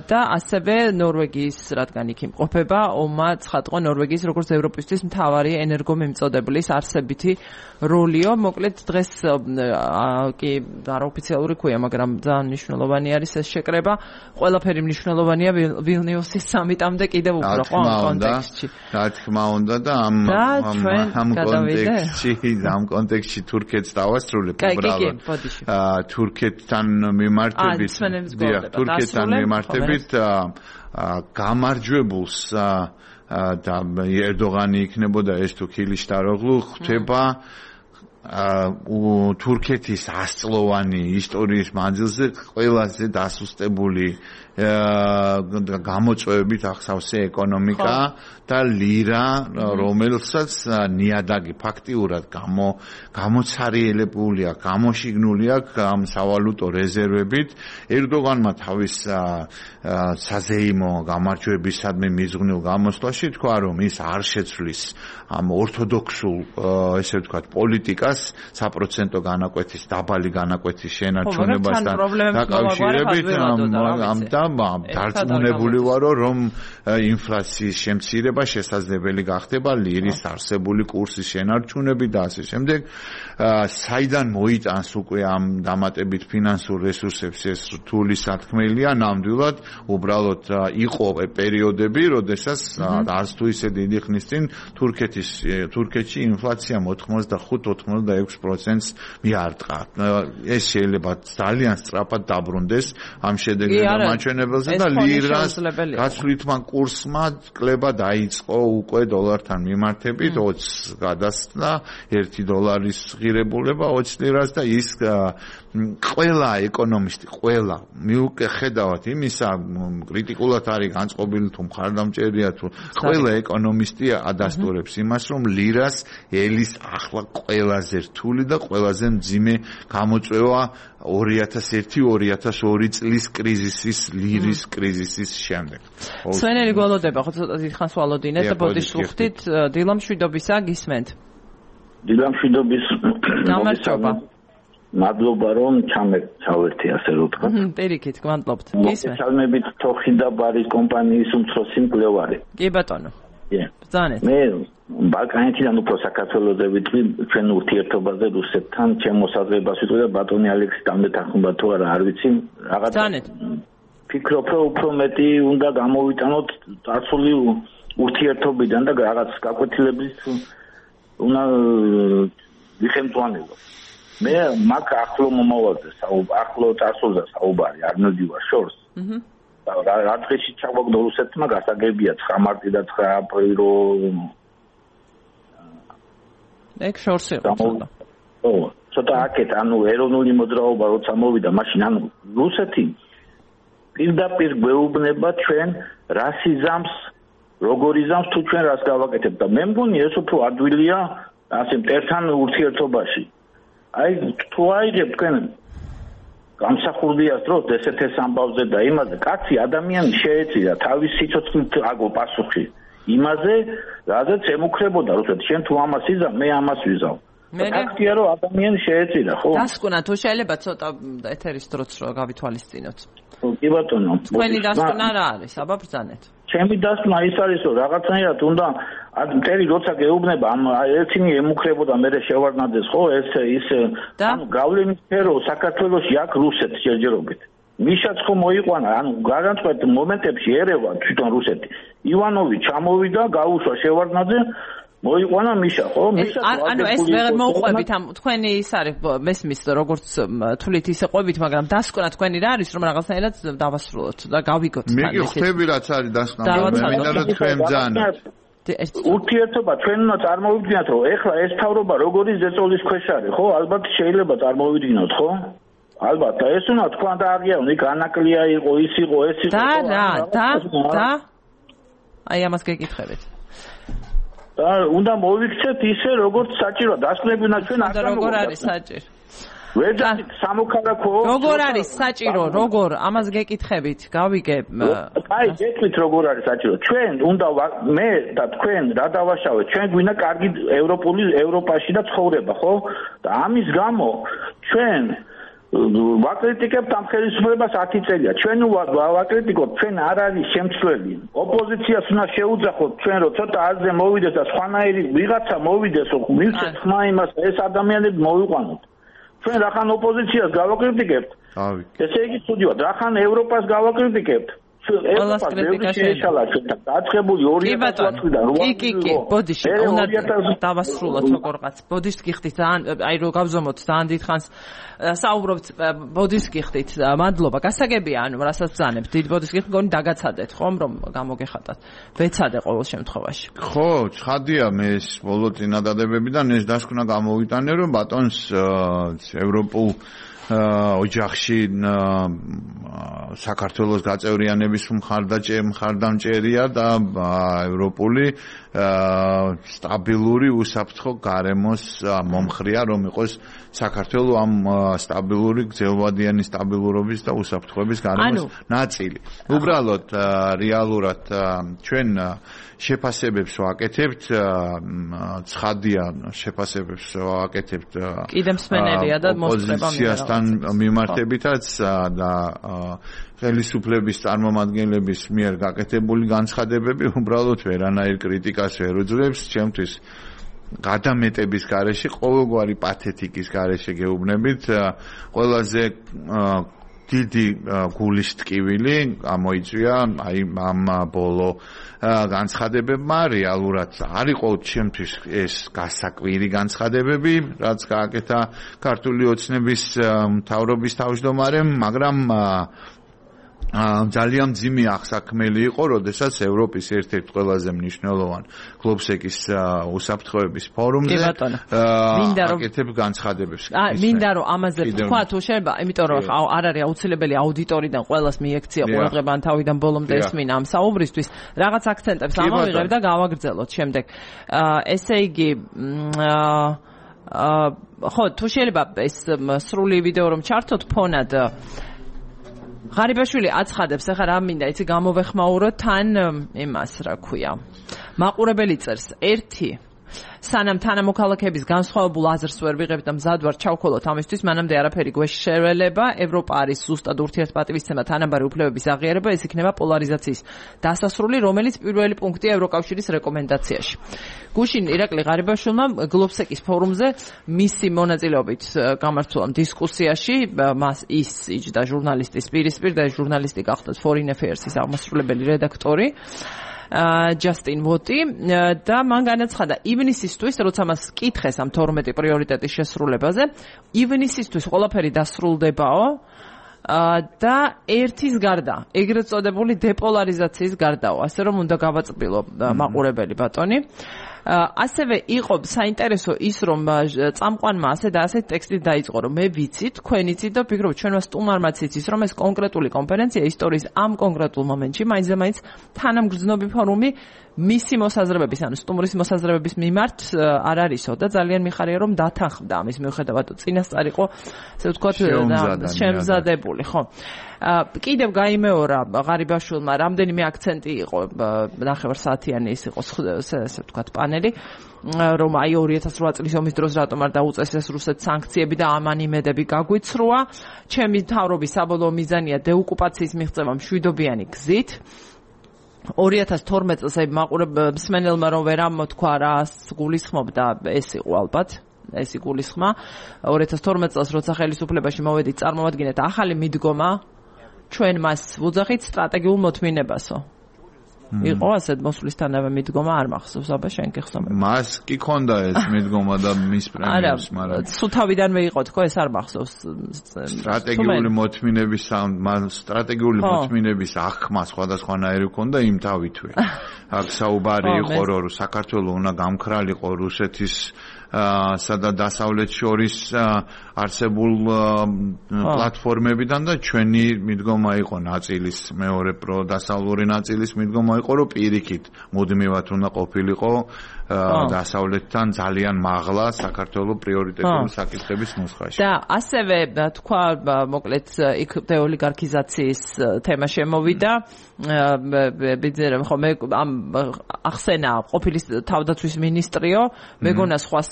და ასევე ნორვეგიის რადგან იქ იმყოფება ომმა ცხადყო ნორვეგიის როგორც ევროპისთვის მთავარი ენერგომემწოდებლის არსებითი როლიო. მოკლედ დღეს კი არაოფიციალური ქვია, მაგრამ ძალიან მნიშვნელოვანი არის ეს შეკრება. ყველაფერი მნიშვნელოვანია ვილნიუსის სამიტამდე კიდევ უფრო ხო ამ კონტექსტში. რა თქმა უნდა და ამ კონტექსტში თურქეთს დავასრულებ უბრალოდ. თურქეთთან მიმართებით გამარჯვებულს და ერდოგანი იქნებოდა ეს თუ ქილიშტაროღლუ ხდება თურქეთის 100-წლოვანი ისტორიის მანძილზე ყველაზე დასუსტებული გამოწვევებით ახსავსე ეკონომიკა და ლირა, რომელსაც ნიადაგი ფაქტიურად გამოცარიელებულია, გამოშიგნული აქვს ამ სავალუტო რეზერვებით. ერდოგანმა თავის საზეიმო გამარჯვებისადმი მიზღვნილ გამოსვლაში თქვა, რომ ის არ შეცვლის ამ ორთოდოქსულ, ესე ვთქვათ, პოლიტიკას, ლირას საპროცენტო განაკვეთის დაბალი განაკვეთის შენარჩუნებასთან დაკავშირებით დარწმუნებული ვარო რომ ინფლაციის შემცირება შესაძლებელი გახდება ლირის არსებული კურსის შენარჩუნებით და ასე შემდეგ საიდან მოიტანს უკვე ამ დამატებით ფინანსურ რესურსებს ეს რთული სათქმელია ნამდვილად უბრალოდ იყო პერიოდები როდესაც არც თუ ისე დიდი ხნის წინ თურქეთში ინფლაცია 85-86%-ს მიარტყა ეს შეიძლება ძალიან სწრაფად დაბრუნდეს ამ შედეგებთან მაჩვენებელზე და ლირას გაცვლითმა კურსმა კლება დაიწყო უკვე დოლართან მიმართებით 20 გადასცდა 1 დოლარის ღირებულება 20 ლირას და ის ყველა ეკონომისტი ყველა მიუხედავად იმისა კრიტიკულად არის განწყობილი თუ მხარდამჭერია თუ ყველა ეკონომისტი ადასტურებს იმას რომ ლირას ელის ახლა ყველაზე რთული და ყველაზე მძიმე გამოწვევა 2001-2002 წლის კრიზისის ლირის კრიზისის შემდეგ. სვენელი გველოდება ხო ცოტა დიდხანს ვალოდინეთ და ბოდიშუხტით დილამშვიდობისა გისმენთ. დილამშვიდობის გამარჯობა. მადლობა რომ ჩავერთი ასე რომ თქვა. პირიქით გმადლობთ. გისმენთ. ჩალმებით თოხი და ბარის კომპანიის უმცროსი მკვლევარი. კი ბატონო. ბრძანეთ. მე ბალკანეთიდან უფრო საქართველოსზე ვიტყვი ჩვენ ურთიერთობაზე რუსეთთან ჩემ მოსაზრებას ვიტყვი და ბატონი ალექსი დამეთანხმება თუ არა არ ვიცი რაღაც ბრძანეთ. ფიქრობ რომ უფრო მეტი უნდა გამოვიტანოთ წარსული ურთიერთობიდან და რაღაც გაკვეთილების უნდა ვიხემწვანებო. მე მაგ ახლო მომავალზე ახლო წარსულზე საუბარი არ მოდივარ შორს. რა დღეში ჩაგვაგდო რუსეთმა გასაგებია 9 მარტი და 9 აპრილი რომ ეგ შორს იყო ცოტა. ო, ცოტა აკეთ, ანუ ეროვნული მოძრაობა როცა მოვიდა, მაშინ ანუ რუსეთი პირდაპირ გვეუბნება ჩვენ რასიზმს, როგორ იზამს თუ ჩვენ რას გავაკეთებთ და მე მგონი ეს უფრო ადვილია ასე მტერთან ურთიერთობაში. აი თუ აიღებ თქვენ გამსახურდიას დროს ესეთეს ამბავზე და იმაზე კაცი ადამიანი შეეწირა თავის სიცოცხლით აგო პასუხი იმაზე რადგან ემუქრებოდა რუსეთი შენ თუ ამას იზამ მე ამას ვიზავ ფაქტია რომ ადამიანი შეეწირა ხო დასკვნა თუ შეიძლება ცოტა ეთერის დროც რო გავითვალისწინოთ კი ბატონო თქვენი დასკვნა რა არის აბა ბრძანეთ ჩემი დასკვნა ის არის რომ რაღაცნაირად უნდა მტერი როცა გეუბნება ამ ერთინი ემუქრებოდა მე შევარდნადეს ხო ეს ის ანუ გავლენის სფერო საქართველოში აქ რუსეთს ჯერჯერობით მიშაც ხო მოიყვანა ანუ განსხვავებულ მომენტებში ერევა თვითონ რუსეთი ივანოვი ჩამოვიდა გაუშვა შევარდნაძე მოიყვანა მიშა ხო მიშა ანუ ეს ვერ მოუყვებით ამ თქვენი ის არის მესმის როგორც თulit ისე ყვებით მაგრამ დასკვნა თქვენი რა არის რომ რაღაცნაირად დავასრულოთ და გავიგოთ თან მე ხვდები რაც არის დასკვნა მე მინდა რომ თქვენ ძანოთ ურთიერთობა ჩვენ უნდა წარმოვიდგინოთ რომ ეხლა ეს თავრობა როგორი ზეწოლის ქვეშ არის ხო ალბათ შეიძლება წარმოვიდგინოთ ხო ალბათ და ეს უნდა თქვა და აღიარონ იქ ანაკლია იყო ის იყო ეს იყო და აი ამას გეკითხებით და უნდა მოვიქცეთ ისე როგორც საჭიროა დასკვნები უნდა ჩვენ არ გამოვიდეთ როგორ არის საჭირო ვეძახით სამოქალაქო როგორ არის საჭირო როგორ ამას გეკითხებით გავიგებ აი გეტყვით როგორ არის საჭირო ჩვენ უნდა მე და თქვენ რა დავაშავეთ ჩვენ გვინდა კარგი ევროპაში და ცხოვრება ხო და ამის გამო ჩვენ ვაკრიტიკებთ ამ ხელისუფლებას 10 წელია ჩვენ ვაკრიტიკობთ ჩვენ არ არის შემცვლელი ოპოზიციას უნდა შეუძახოთ ჩვენ რომ ცოტა აზრზე მოვიდეს და სხვანაირი ვიღაცა მოვიდეს რომ მივცეთ ხმა იმას ეს ადამიანები მოვიყვანოთ ჩვენ რახან ოპოზიციას გავაკრიტიკებთ ესე იგი ცუდივად რახან ევროპას გავაკრიტიკებთ ყველას კრიტიკა შეიძლება დაწყებული 2008-დან კი ბოდიში უნდა დავასრულოთ როგორღაც ბოდიშს გიხდით ძალიან აი რო გავზომოთ ძალიან დიდხანს საუბრობთ ბოდიშს გიხდით მადლობა გასაგებია ანუ რასაც ბრძანებთ დიდ ბოდიშს გიხდით მგონი დაგაცადეთ ხომ რომ გამოგეხატათ ვეცადე ყოველ შემთხვევაში ხო ცხადია მე ეს ბოლო წინადადებებიდან ეს დასკვნა გამოვიტანე რომ ბატონს ევროპულ ოჯახში საქართველოს გაწევრიანების მხარდამჭერია და ევროპული სტაბილური უსაფრთხო გარემოს მომხრია, რომ იყოს საქართველო ამ სტაბილური გრძელვადიანი სტაბილურობის და უსაფრთხოების გარემოს ნაწილი. უბრალოდ რეალურად ჩვენ შეფასებებს ვაკეთებთ, ცხადია შეფასებებს ვაკეთებთ კიდე მსმენელია და მოსწრება ოპოზიციასთან მიმართებითაც და ხელისუფლების წარმომადგენლების მიერ გაკეთებული განცხადებები უბრალოდ ვერანაირ კრიტიკას ვერ უძლებს, ჩემთვის გადამეტების გარეშე, ყოველგვარი პათეტიკის გარეშე გეუბნებით, ყველაზე დიდი გულის ტკივილი გამოიწვია აი ამ ბოლო განცხადებებმა. რეალურად არ იყო ჩემთვის ეს გასაკვირი განცხადებები, რაც გააკეთა ქართული ოცნების მთავრობის თავმჯდომარემ, მაგრამ ძალიან მძიმე აღსაქმელი იყო, როდესაც ევროპის ერთ-ერთ ყველაზე მნიშვნელოვან გლობსეკის უსაფრთხოების ფორუმზე აკეთებ განცხადებებს. მინდა რომ ამაზე თქვა თუ შეიძლება, იმიტომ რომ არ არის აუცილებელი აუდიტორიდან ყველას მიექცია ყურადღება ან თავიდან ბოლომდე ესმინა ამ საუბრისთვის, რაღაც აქცენტებს ამოვიღებ და გავაგრძელოთ შემდეგ. ესე იგი ხო, თუ შეიძლება ეს სრული ვიდეო რომ ჩართოთ ფონად ღარიბაშვილი აცხადებს, ახლა რა მინდა, იცი გამოვეხმაურო თან იმას, რა ქვია. მაყურებელი წერს, 1 სანამ თანამოქალაქეების განსხვავებულ აზრს ვერ ვიღებთ და მზად ვარ ჩავქოლოთ ამისთვის, მანამდე არაფერი გვეშველება. ევროპა არის ზუსტად ურთიერთპატივისცემა, თანაბარი უფლებების აღიარება, ეს იქნება პოლარიზაციის დასასრული, რომელიც პირველი პუნქტია ევროკავშირის რეკომენდაციაში. გუშინ ირაკლი ღარიბაშვილმა გლობსეკის ფორუმზე მისი მონაწილეობით გამართულ დისკუსიაში მას ის იჯდა ჟურნალისტის პირისპირ და ჟურნალისტი გახდათ Foreign Affairs-ის აღმასრულებელი რედაქტორი ჯასტინ ვოტი და მან განაცხადა ივნისისთვის, როცა მას კითხეს ამ 12 პრიორიტეტის შესრულებაზე, ივნისისთვის ყველაფერი დასრულდებაო და ერთის გარდა, ეგრეთ წოდებული დეპოლარიზაციის გარდაო, ასე რომ უნდა გავაწყბილო მაყურებელი ბატონი. ასევე იყო საინტერესო ის, რომ წამყვანმა ასე და ასე ტექსტით დაიწყო, რომ მე ვიცი, თქვენ იცით და ვფიქრობ, ჩვენმა სტუმარმაც იცის, რომ ეს კონკრეტული კონფერენცია ისტორიის ამ კონკრეტულ მომენტში მაინც თანამგრძნობი ფორუმი მისი მოსაზრებების, ანუ სტუმრის მოსაზრებების მიმართ არ არისო და ძალიან მიხარია, რომ დათანხმდა ამის მიუხედავად, წინასწარ იყო, ასე ვთქვათ, შემზადებული, ხო. კიდევ გაიმეორა ღარიბაშვილმა, რამდენიმე აქცენტი იყო, ნახევარსაათიანი ის იყო, ასე ვთქვათ, პანელი, რომ აი 2008 წლის ომის დროს რატომ არ დაუწეს ეს რუსეთს სანქციები და ამან იმედები გაგვიცრუა. ჩემი მთავრობის საბოლოო მიზანია დეოკუპაციის მიღწევა მშვიდობიანი გზით. 2012 წელს მსმენელმა რომ ვერ ამოთქვა რას გულისხმობდა, ეს იყო ალბათ ეს იგულისხმა. 2012 წელს როცა ხელისუფლებაში მოვედით, წარმოვადგინეთ ახალი მიდგომა, ჩვენ მას ვუძახით სტრატეგიულ მოთმინებასო. იყო ასეთ მოსვლისთანავე მიდგომა, არ მახსოვს, აბა შენ გიხსოვებ. მას კი ქონდა ეს მიდგომა და მის პრემიერს, მაგრამ სუთავიდანვე იყო თქო, ეს არ მახსოვს. სტრატეგიული მოთმინების აღქმა სხვადასხვანაირი ქონდა იმ თავითვე. აქ საუბარი იყო, რომ საქართველოს უნდა გამქრალიყო რუსეთის სადა დასავლეთ შორის არსებულ პლატფორმებიდან და ჩვენი მიდგომა იყო ნაწილის მეორე პროდასავლური ნაწილის მიდგომა იყო, რომ პირიქით მუდმივად უნდა ყოფილიყო დასავლეთთან ძალიან მაღლა საქართველოს პრიორიტეტული საკითხების ნუსხაში. და ასევე თქვა, მოკლედ იქ დეოლიგარქიზაციის თემა შემოვიდა. ბიძერემ ხო მე ამ ახსენა ყოფილი თავდაცვის მინისტრიო, მეგონა სხვას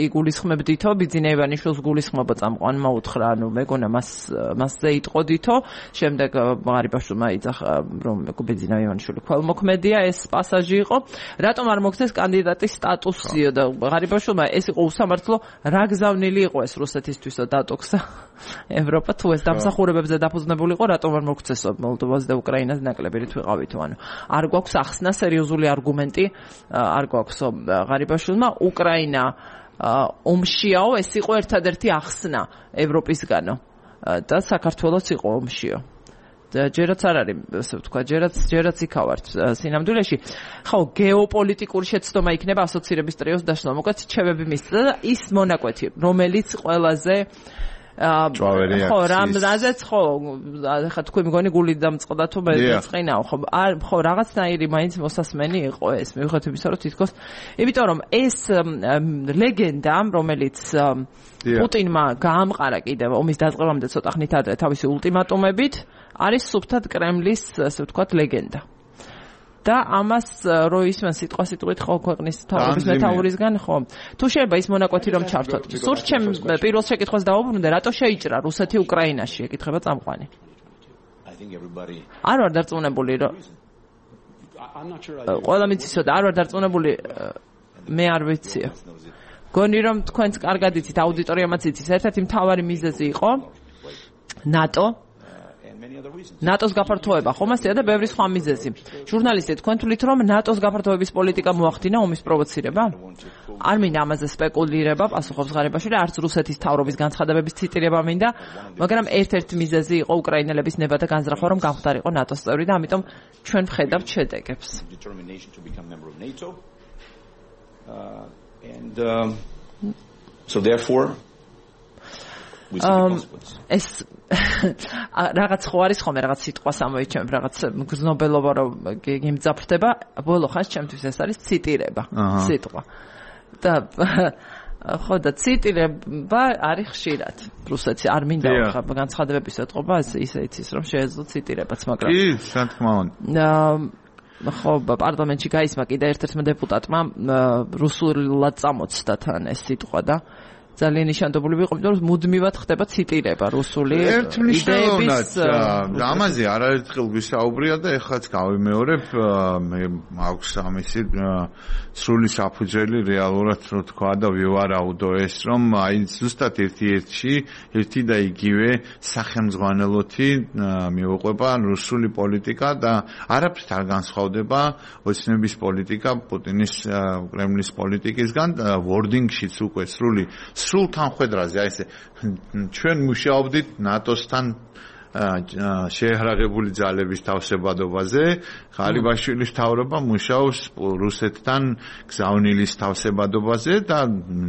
იგულისხმებდითო, ბიძინა ივანიშვილს გულისხმობა წამყვანმა უთხრა, ანუ მეგონა მასზე იტყოდითო, შემდეგ ღარიბაშვილმა იძახა, რომ ბიძინა ივანიშვილი ქველმოქმედია, ეს პასაჟი იყო. რატომ არ მოგცეს კანდიდატის სტატუსიო და ღარიბაშვილმა ეს იყო უსამართლო, რა გზავნილი იყო ეს რუსეთისთვისო დატოქსა ევროპა, თუ ეს დამსახურებებზე დაფუძნებული იყო, რატომ არ მოგცესო მოლდოვას და უკრაინას ნაკლები რით ვიყავითო, ანუ არ გვაქვს ახსნა სერიოზული არგუმენტი, არ გვაქვსო ღარიბაშვილმა. უკრაინა ომშიაო, ეს იყო ერთადერთი ახსნა ევროპისგანო და საქართველოს იყო ომშიო. ჯერაც არ არის, ასე ვთქვა, ჯერაც იქავართ სინამდვილეში. ხო, გეოპოლიტიკური შეცდომა იქნება ასოცირების ტრიოს დაშლა. მოკლედ, რჩევები მისცა და ის მონაკვეთი, რომელიც ყველაზე ჭვავერი ხო, რაზეც ხო, ხა თქვი მგონი გული დამწყდა თუ მე წინაო, ხო, ხო, რაღაცნაირი მაინც მოსასმენი იყო ეს, მივხვდით იმისა, რომ თითქოს, იმიტომ რომ ეს ლეგენდა, რომელიც პუტინმა გაამყარა კიდევ ომის დაწყებამდე ცოტა ხნით ადრე თავისი ულტიმატუმებით, არის სუფთად კრემლის, ასე ვთქვათ, ლეგენდა. და ამას რო ისმენ სიტყვასიტყვით ხო ქვეყნის თავის მეთაურისგან ხო თუ შეიძლება ის მონაკვეთი რომ ჩართოთ სურს ჩემ პირველ შეკითხვას დავუბრუნდე რატო შეიჭრა რუსეთი უკრაინაში ეკითხება წამყვანი არ ვარ დარწმუნებული რომ ყველა მიცისო და არ ვარ დარწმუნებული მე არ ვიციო გონი რომ თქვენც კარგად იცით აუდიტორიამაც იცის ერთ-ერთი მთავარი მიზეზი იყო ნატოს გაფართოება, ხომ ასეა და ბევრი სხვა მიზეზი. ჟურნალისტი, თქვენ თვლით რომ ნატოს გაფართოების პოლიტიკა მოახდინა ომის პროვოცირება? არ მინდა ამაზე სპეკულირება, პასუხობს ღარიბაშვილი, არც რუსეთის თავრობის განცხადებების ციტირება მინდა, მაგრამ ერთ-ერთი მიზეზი იყო უკრაინელების ნება და განზრახვა, რომ გამხდარიყო ნატოს წევრი და ამიტომ ჩვენ ვხედავთ შედეგებს. So therefore ეს რაღაც ხო არის ხომ რაღაც სიტყვას ამოიჩემ რაღაც გზნობელობა რომ გიმძაფრდება ბოლო ხანს ჩემთვის ეს არის ციტირება სიტყვა და ხო და ციტირება არის ხშირად რუსეთში არ მინდა განცხადებების ეთყობა ისე იცის რომ შეეძლო ციტირებაც მაგრამ კი რა თქმა უნდა ხო პარლამენტში გაისმა კიდე ერთ-ერთმა დეპუტატმა რუსულად წამოწდა თან ეს სიტყვა და ძალიან ნიშანდობლივ იყო, იმიტომ რომ მუდმივად ხდება ციტირება რუსული იდეების. ამაზე არაერთხელ ვისაუბრია და ეხლაც გავიმეორებ, მე მაქვს ამისი სრული საფუძველი რეალურად რო თქვა და ვივარაუდო ეს, რომ აი ზუსტად ერთი და იგივე სახელმძღვანელოთი მიუყვება რუსული პოლიტიკა და არაფრით არ განსხვავდება ოცნების პოლიტიკა პუტინის კრემლის პოლიტიკისგან ვორდინგშიც უკვე სრულ თანხვედრაზე აი ესე ჩვენ მუშაობდით ნატოსთან შეჰრაღებული ძალების თავსებადობაზე ღარიბაშვილის თავრობა მუშაობს რუსეთთან გზავნილის თავსებადობაზე და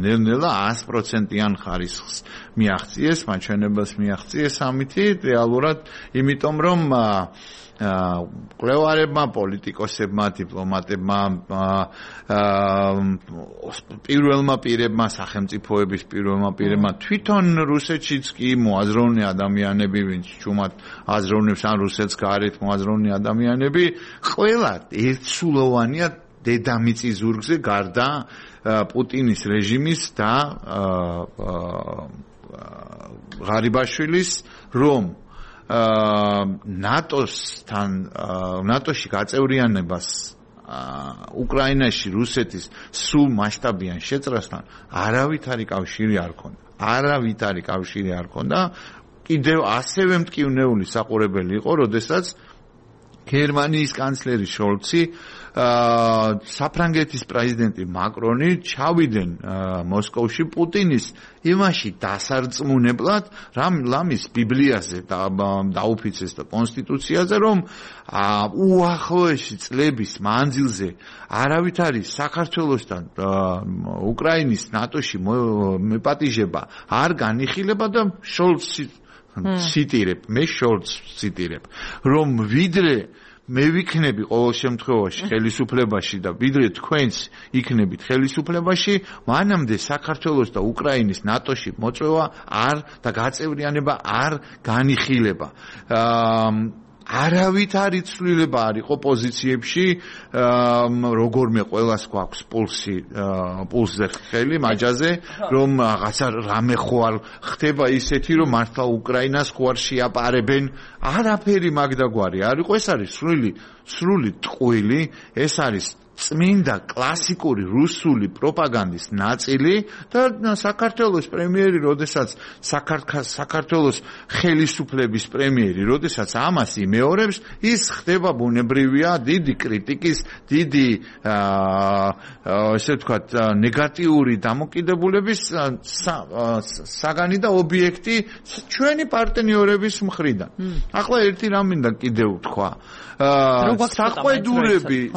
ნელ-ნელა 100%-იან ხარისხს მიაღწიეს მაჩვენებელს მიაღწიეს ამითი რეალურად იმიტომ რომ კვლევარებმა, პოლიტიკოსებმა, დიპლომატებმა, პირველმა პირებმა, სახელმწიფოების პირველმა პირებმა თვითონ რუსეთშიც კი მოაზროვნე ადამიანები, ვინც ჩუმად აზროვნებს ან რუსეთს გარეთ მოაზროვნე ადამიანები, ყველა ერთსულოვანია დედამიწის ზურგზე გარდა პუტინის რეჟიმის და ღარიბაშვილის რომ ნატოში გაწევრიანებას უკრაინაში რუსეთის სულ მასშტაბიან შეწრასთან არავითარი კავშირი არ ქონდა. კიდევ ასევე მტკივნეული საყურებელი იყო, როდესაც გერმანიის კანცლერი შოლცი საფრანგეთის პრეზიდენტი მაკრონი ჩავიდნენ მოსკოვში პუტინის იმაში დასარწმუნებლად რამის ბიბლიაზე დაუფიცეს და კონსტიტუციაზე რომ უახლოესი წლების მანძილზე არავითარი საქართველოსთან უკრაინის ნატოში მეპატიჟება არ განიხილება და შოლცი მე შოლცს ციტირებ რომ ვიდრე მე ვიქნები ყოველ შემთხვევაში ხელისუფლებაში და ვიდრე თქვენც იქნებით ხელისუფლებაში მანამდე საქართველოს და უკრაინის ნატოში მოწვევა და გაწევრიანება არ განიხილება არავითარი ცვლილება არ იყო პოზიციებში როგორმე ყველას გვაქვს პულსზე ხელი მაჯაზე რომ რაღაცა რამე ხო არ ხდება ისეთი რომ მართლა უკრაინას ხო არ შეაპარებენ არაფერი მაგდაგვარი არ იყო ეს არის სრული ტყვილი ეს არის წმინდა კლასიკური რუსული პროპაგანდის ნაწილი და საქართველოს პრემიერი, როდესაც საქართველოს ხელისუფლების პრემიერი, როდესაც ამას იმეორებს, ის ხდება ბუნებრივია დიდი კრიტიკის, დიდი ესე ვთქვათ, ნეგატიური დამოკიდებულების საგანი და ობიექტი ჩვენი პარტნიორების მხრიდან. ახლა ერთი რამ მინდა კიდევ ვთქვა.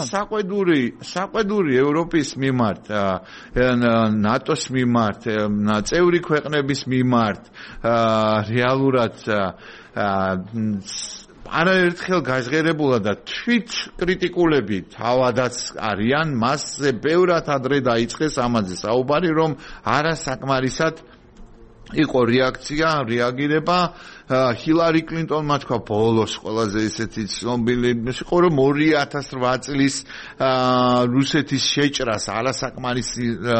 საყვედური საყვედური ევროპის მიმართ, ნატოს მიმართ, წევრი ქვეყნების მიმართ რეალურად არაერთხელ გაჟღერებულა და თვით კრიტიკულები თავადაც არიან, მასზე ბევრად ადრე დაიწყეს ამაზე საუბარი, რომ არასაკმარისად იყო რეაგირება ჰილარი კლინტონმა თქვა ბოლოს ყველაზე ესეთი ცნობილი იყო რომ 2008 წლის რუსეთის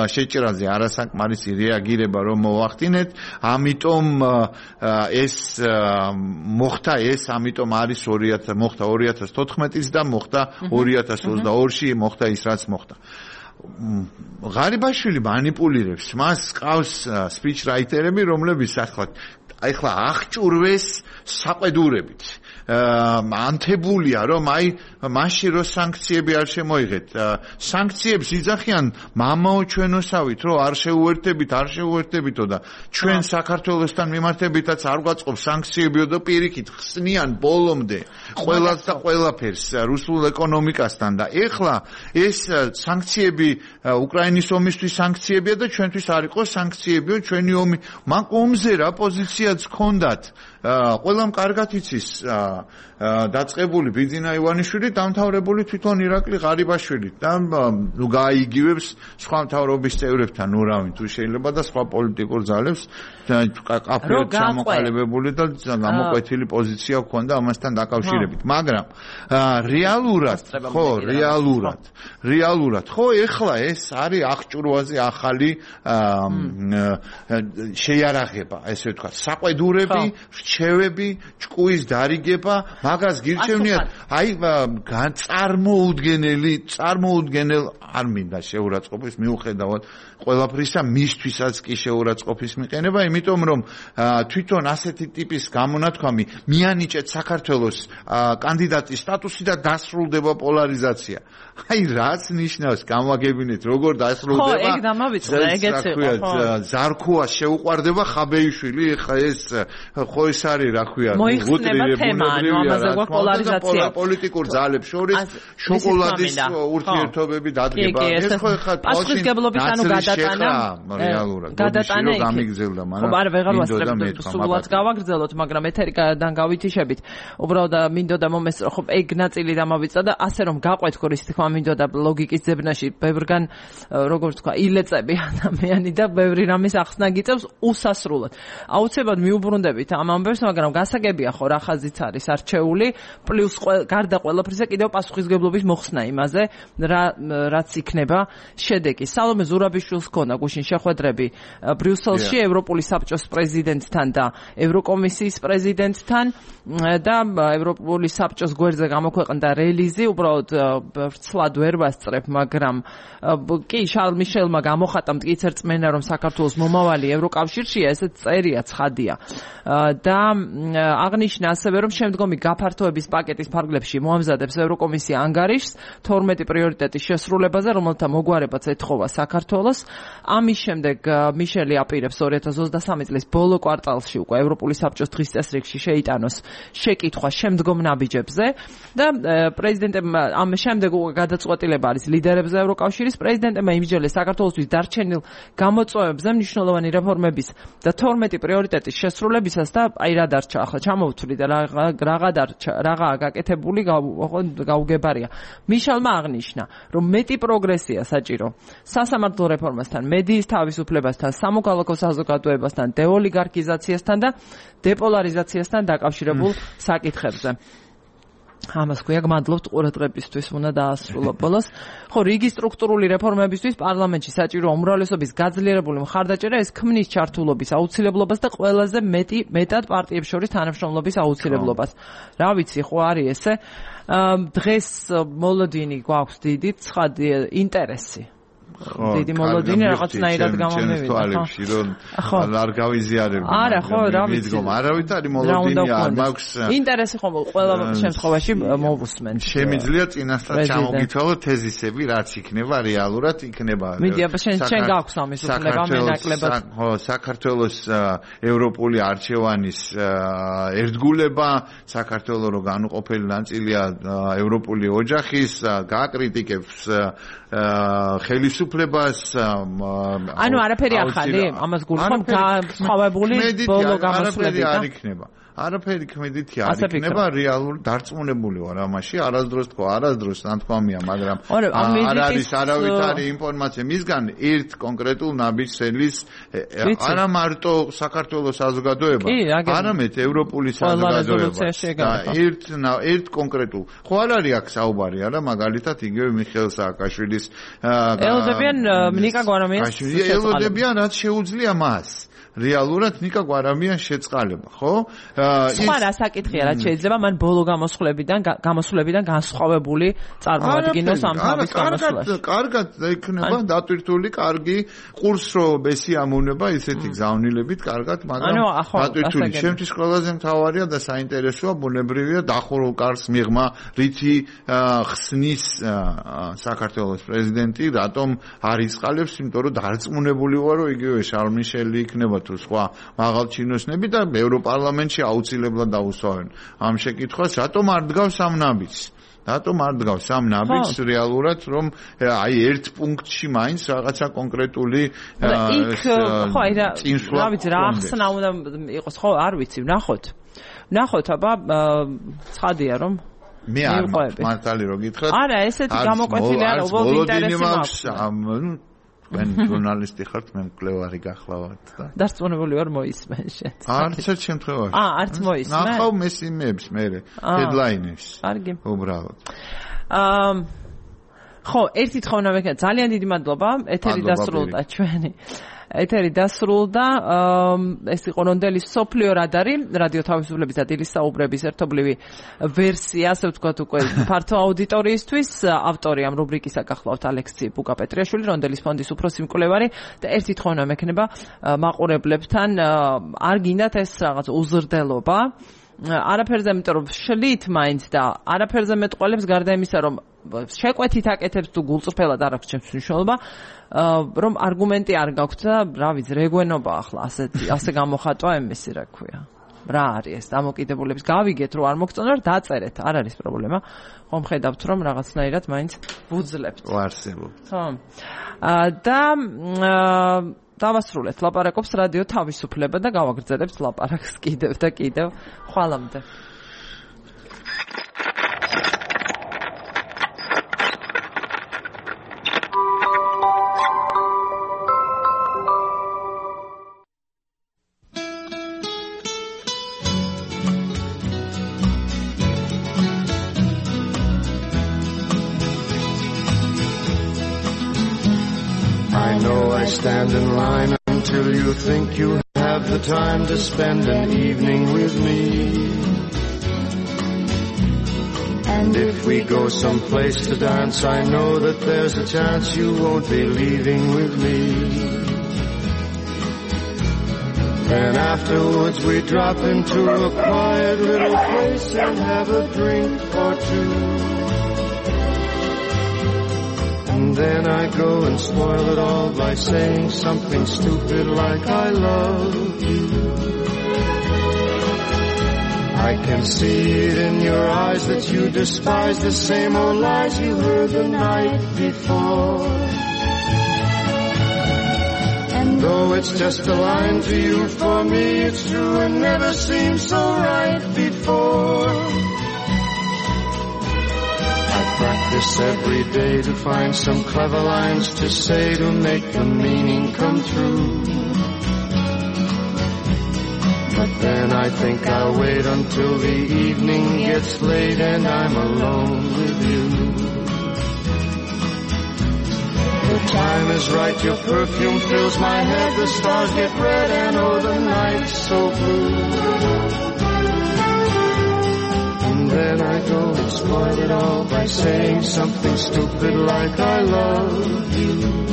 შეჭრაზე არასაკმარისი რეაგირება რომ მოახდინეთ, ამიტომ ამიტომ არის 2014-ს და მოხდა 2022-ში მოხდა ის რაც მოხდა. ღარიბაშვილი манипуლირებს, მას ყავს სპიჩრაიტერები, რომლებიც ახლა აღჭურვეს საყვედურებით. ანთებულია რომ მაშინ რო სანქციები არ შემოიღეთ, სანქციებს იძახიან მამაო ჩვენოსავით, რომ არ შეუერთებითო და ჩვენ საქართველოსთან მიმართებითაც არ გვაწყობს სანქციებიო და პირიქით ხსნიან ბოლომდე ყველას და ყველაფერს რუსულ ეკონომიკასთან და ეხლა ეს სანქციები უკრაინის ომისთვის სანქციებია და ჩვენთვის არ იყო სანქციებიო ჩვენი ომი. მაგ ომზე რა პოზიციაც ჰქონდათ ყველამ კარგად იცის დაწყებული ბიძინა ივანიშვილი, დამთავრებული თვითონ ირაკლი ღარიბაშვილი და გაიგივებს სხვა მთავრობის წევრებთან ურავინ თუ შეიძლება და სხვა პოლიტიკურ ძალებს კაფეოდ ჩამოყალიბებული და გამოკვეთილი პოზიცია ჰქონდა ამასთან დაკავშირებით. მაგრამ რეალურად ხო ეხლა ეს არის აღჭურვაზე ახალი შეიარაღება, ესე ვთქვათ, საყვედურები, რჩევები, ჭკუის დარიგება, მაგას გირჩევნიათ, წარმოუდგენელ არ მინდა შეურაცხყოფის მიუხედავად ყველაფრისა, მისთვისაც კი შეურაცხყოფის მიყენება, იმიტომ რომ თვითონ ასეთი ტიპის გამონათქვამი მიანიჭეთ საქართველოს კანდიდატის სტატუსი და დასრულდება პოლარიზაცია. რაც ნიშნავს, გამაგებინეთ, როგორ დასრულდება. ხო, ეგ დამავიწყდა, ეგეც იყო. ზარქუას შეუყვარდება ხაბეიშვილი, ეხა ეს ხო ეს არის რა ქვია, პოლიტიკურ ძალებს შორის შოკოლადის ურთიერთობები დადგება. ეს ხო ეხლა პასუხისმგებლობის გადატანა რეალურად გამიგზელდა, მაგრამ სულად გავაგრძელოთ, მაგრამ ეთერიდან გავითიშებით. უბრალოდ მინდოდა მომესწრო, ხო ეგ ნაწილი დამავიწყდა და ასე რომ გაყვეთ ხო ის თქმა მინდოდა ლოგიკის ძებნაში ბევრგან როგორც თქვა ილეწები ადამიანი და ბევრი რამის ახსნა გიწევს უსასრულოდ. აუცილებლად მიუბრუნდებით ამ ამბებს, მაგრამ გასაგებია ხო რა ხაზიც არის არჩეული, პლუს გარდა ყველაფრისა კიდევ პასუხისმგებლობის მოხსნა იმაზე, რაც იქნება შედეგი. სალომე ზურაბიშვილს ჰქონდა გუშინ შეხვედრები ბრიუსელში ევროპული საბჭოს პრეზიდენტთან და ევროკომისიის პრეზიდენტთან და ევროპული საბჭოს გვერდზე გამოქვეყნდა რელიზი, უბრალოდ ვრცლად ვერ ვასწრებ, მაგრამ კი შარლ მიშელმა გამოხატა მტკიცე რწმენა, რომ საქართველოს მომავალი ევროკავშირშია, ესეც წერია ცხადია. და აღნიშნა ასევე, რომ შემდგომი გაფართოების პაკეტის ფარგლებში მოამზადებს ევროკომისია ანგარიშს 12 პრიორიტეტის შესრულებაზე, რომელთა მოგვარებაც ეთხოვა საქართველოს. ამის შემდეგ მიშელი აპირებს 2023 წლის ბოლო კვარტალში უკვე ევროპული საბჭოს დღის წესრიგში შეიტანოს შეკითხვა შემდგომ ნაბიჯებზე და პრეზიდენტემ ამ შემდეგ უკვე გადაწყვეტილება არის ლიდერებზე ევროკავშირის. პრეზიდენტებმა იმსჯელეს საქართველოსთვის დარჩენილ გამოწვევებზე მნიშვნელოვანი რეფორმების და 12 პრიორიტეტის შესრულებისას და რა დარჩა ახლა ჩამოვთვლი და რაღაცაა გაკეთებული გაუგებარია. მიშელმა აღნიშნა, რომ მეტი პროგრესია საჭირო სასამართლო რეფორმასთან, მედიის თავისუფლებასთან, სამოქალაქო საზოგადოებასთან, დეოლიგარქიზაციასთან და დეპოლარიზაციასთან დაკავშირებულ საკითხებზე. ამას ქვია გმადლობთ ყურადღებისთვის, უნდა დაასრულო ბოლოს. ხო, რიგი სტრუქტურული რეფორმებისთვის პარლამენტში საჭირო უმრავლესობის გაძლიერებული მხარდაჭერა ეს ქმნის ჩართულობის აუცილებლობას და ყველაზე მეტად პარტიებს შორის თანამშრომლობის აუცილებლობას. რა ვიცი, ხო არის ესე. დღეს მოლოდინი გვაქვს დიდი ცხადი ინტერესი. დიდი მოლოდინი რაღაცნაირად გამომივიდა ხო არ გავიზიარებ არა ხო რა ვიცი არავითარი მოლოდინი არ მაქვს ინტერესი ხომ ყველა შემთხვევაში მოვუსმენ შემიძლია წინასწარ ჩამოგითვალო თეზისები რაც იქნება რეალურად იქნება მიდი აბა შენ გაქვს ამის უფლება მენაკლებად ხო საქართველოს ევროპული არჩევანის ერთგულება საქართველოს რო განუყოფელი ნაწილია ევროპული ოჯახის გააკრიტიკებს ხელისუფლებას ანუ არაფერი ახალი ამას გულხომ განსხვავებული ბოლო გამოსვლები არ იქნება არაფერი ქმედითი არ იქნება რეალური დარწმუნებული ვარ ამაში არასდროს თქვა არასდროს ნათქვამია მაგრამ არ არის არავითარი ინფორმაცია მისგან ერთ კონკრეტულ ნაბიჯს არა მარტო საქართველოს საზოგადოება არამედ ევროპული საზოგადოება ერთ კონკრეტულ ხო არ არის აქ საუბარი არა მაგალითად იგივე მიხეილ სააკაშვილის ელოდებიან ნიკა გვარამიანს ელოდებიან რაც შეუძლია მას რეალურად ნიკა გვარამიანს შეწყალება, ხო? სხვა რა საკითხია, რაც შეიძლება მან ბოლო გამოსვლებიდან განსხვავებული წარმოადგინოს ამ თავის გამოსვლაში. კარგად იქნება დატვირთული, კარგი ყურსრო ბესიამონება ისეთი გზავნილებით, კარგად, მაგრამ დატვირთული შემთხვევაში ყველაზე მთავარია და საინტერესოა ბუნებრივია დახურულ კარს მიღმა, რითი ხსნის საქართველოს პრეზიდენტი, რატომ არ იწყალებს, იმიტომ რომ დარწმუნებული ვარ, რომ იგივე შარლ მიშელი იქნება თუ სხვა მაღალჩინოსნები და ევროპარლამენტში აუცილებლად დაუსვავენ ამ შეკითხვას, რატომ არ დგავს ამ ნაბიჯს? რატომ არ დგავს ამ ნაბიჯს რეალურად, რომ აი ერთ პუნქტში მაინც რაღაცა კონკრეტული ხო, აი რა ვიცი, რა ახსნა უნდა იყოს, ხო, არ ვიცი, ვნახოთ, აბა ცხადია რომ მე არ მართალი რო გითხრათ. არა, ესეთი გამოკვეთილი არა, უბრალოდ ინტერესი მაქვს. თქვენ ჟურნალისტი ხართ, მე მკვლევარი გახლავთ და დარწმუნებული ვარ მოისმენ შენ. არც ერთ შემთხვევაში. არც მოისმენ. ნახავ მესიმეებს მე ჰედლაინებს. კარგი. უბრალოდ. ხო, ერთი თხოვნა მექნა, ძალიან დიდი მადლობა, ეთერი დასრულდა ჩვენი. ეთერი დასრულდა, ეს იყო რონდელის სოფლიო რადარი, რადიო თავისუფლების და დილის საუბრების ერთობლივი ვერსია, ასე ვთქვათ უკვე ფართო აუდიტორიისთვის. ავტორი ამ რუბრიკისა გახლავთ ალექსი ბუკაპეტრიაშვილი, რონდელის ფონდის უფროსი მკვლევარი და ერთი თხოვნა მექნება მაყურებლებთან, არ გინდათ ეს რაღაც უზრდელობა, არაფერზე, იმიტომ რომ შლით მაინც და არაფერზე მეტყველებს გარდა იმისა, რომ შეკვეთით აკეთებს თუ გულწრფელად არ აქვს ჩემს მნიშვნელობა, რომ არგუმენტი არ გაქვთ და რა ვიცი, რეგვენობა ახლა ასე გამოხატვა ემესი რა ქვია. რა არის ეს დამოკიდებულების გავიგეთ რომ არ მოგწონთ, დაწერეთ, არ არის პრობლემა. ხომ ხედავთ რომ რაღაცნაირად მაინც ვუძლებთ. ვარსებობთ. ხო. და დავასრულეთ ლაპარაკობს რადიო თავისუფლება და გავაგრძელებთ ლაპარაკს კიდევ და კიდევ. ხვალამდე. Stand in line until you think you have the time to spend an evening with me. And if we go someplace to dance, I know that there's a chance you won't be leaving with me. Then afterwards we drop into a quiet little place and have a drink or two. And then I go and spoil it all by saying something stupid like I love you. I can see it in your eyes that you despise the same old lies you heard the night before. And though it's just a line to you, for me it's true and never seemed so right before. Practice every day to find some clever lines to say to make the meaning come true. But then I think I'll wait until the evening gets late and I'm alone with you. The time is right, your perfume fills my head, the stars get red and oh the night's so blue. And then I go and spoil it all by saying something stupid like I love you.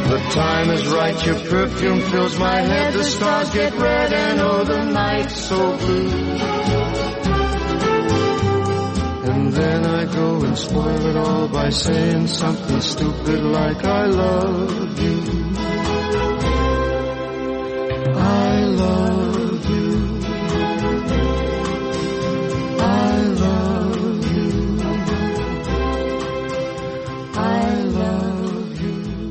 The time is right, your perfume fills my head, the stars get red and oh the night's so blue. And then I go and spoil it all by saying something stupid like I love you. I love you. I love you. I love you.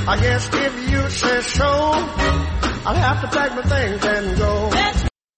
I guess if you say so, I'll have to pack my things and go.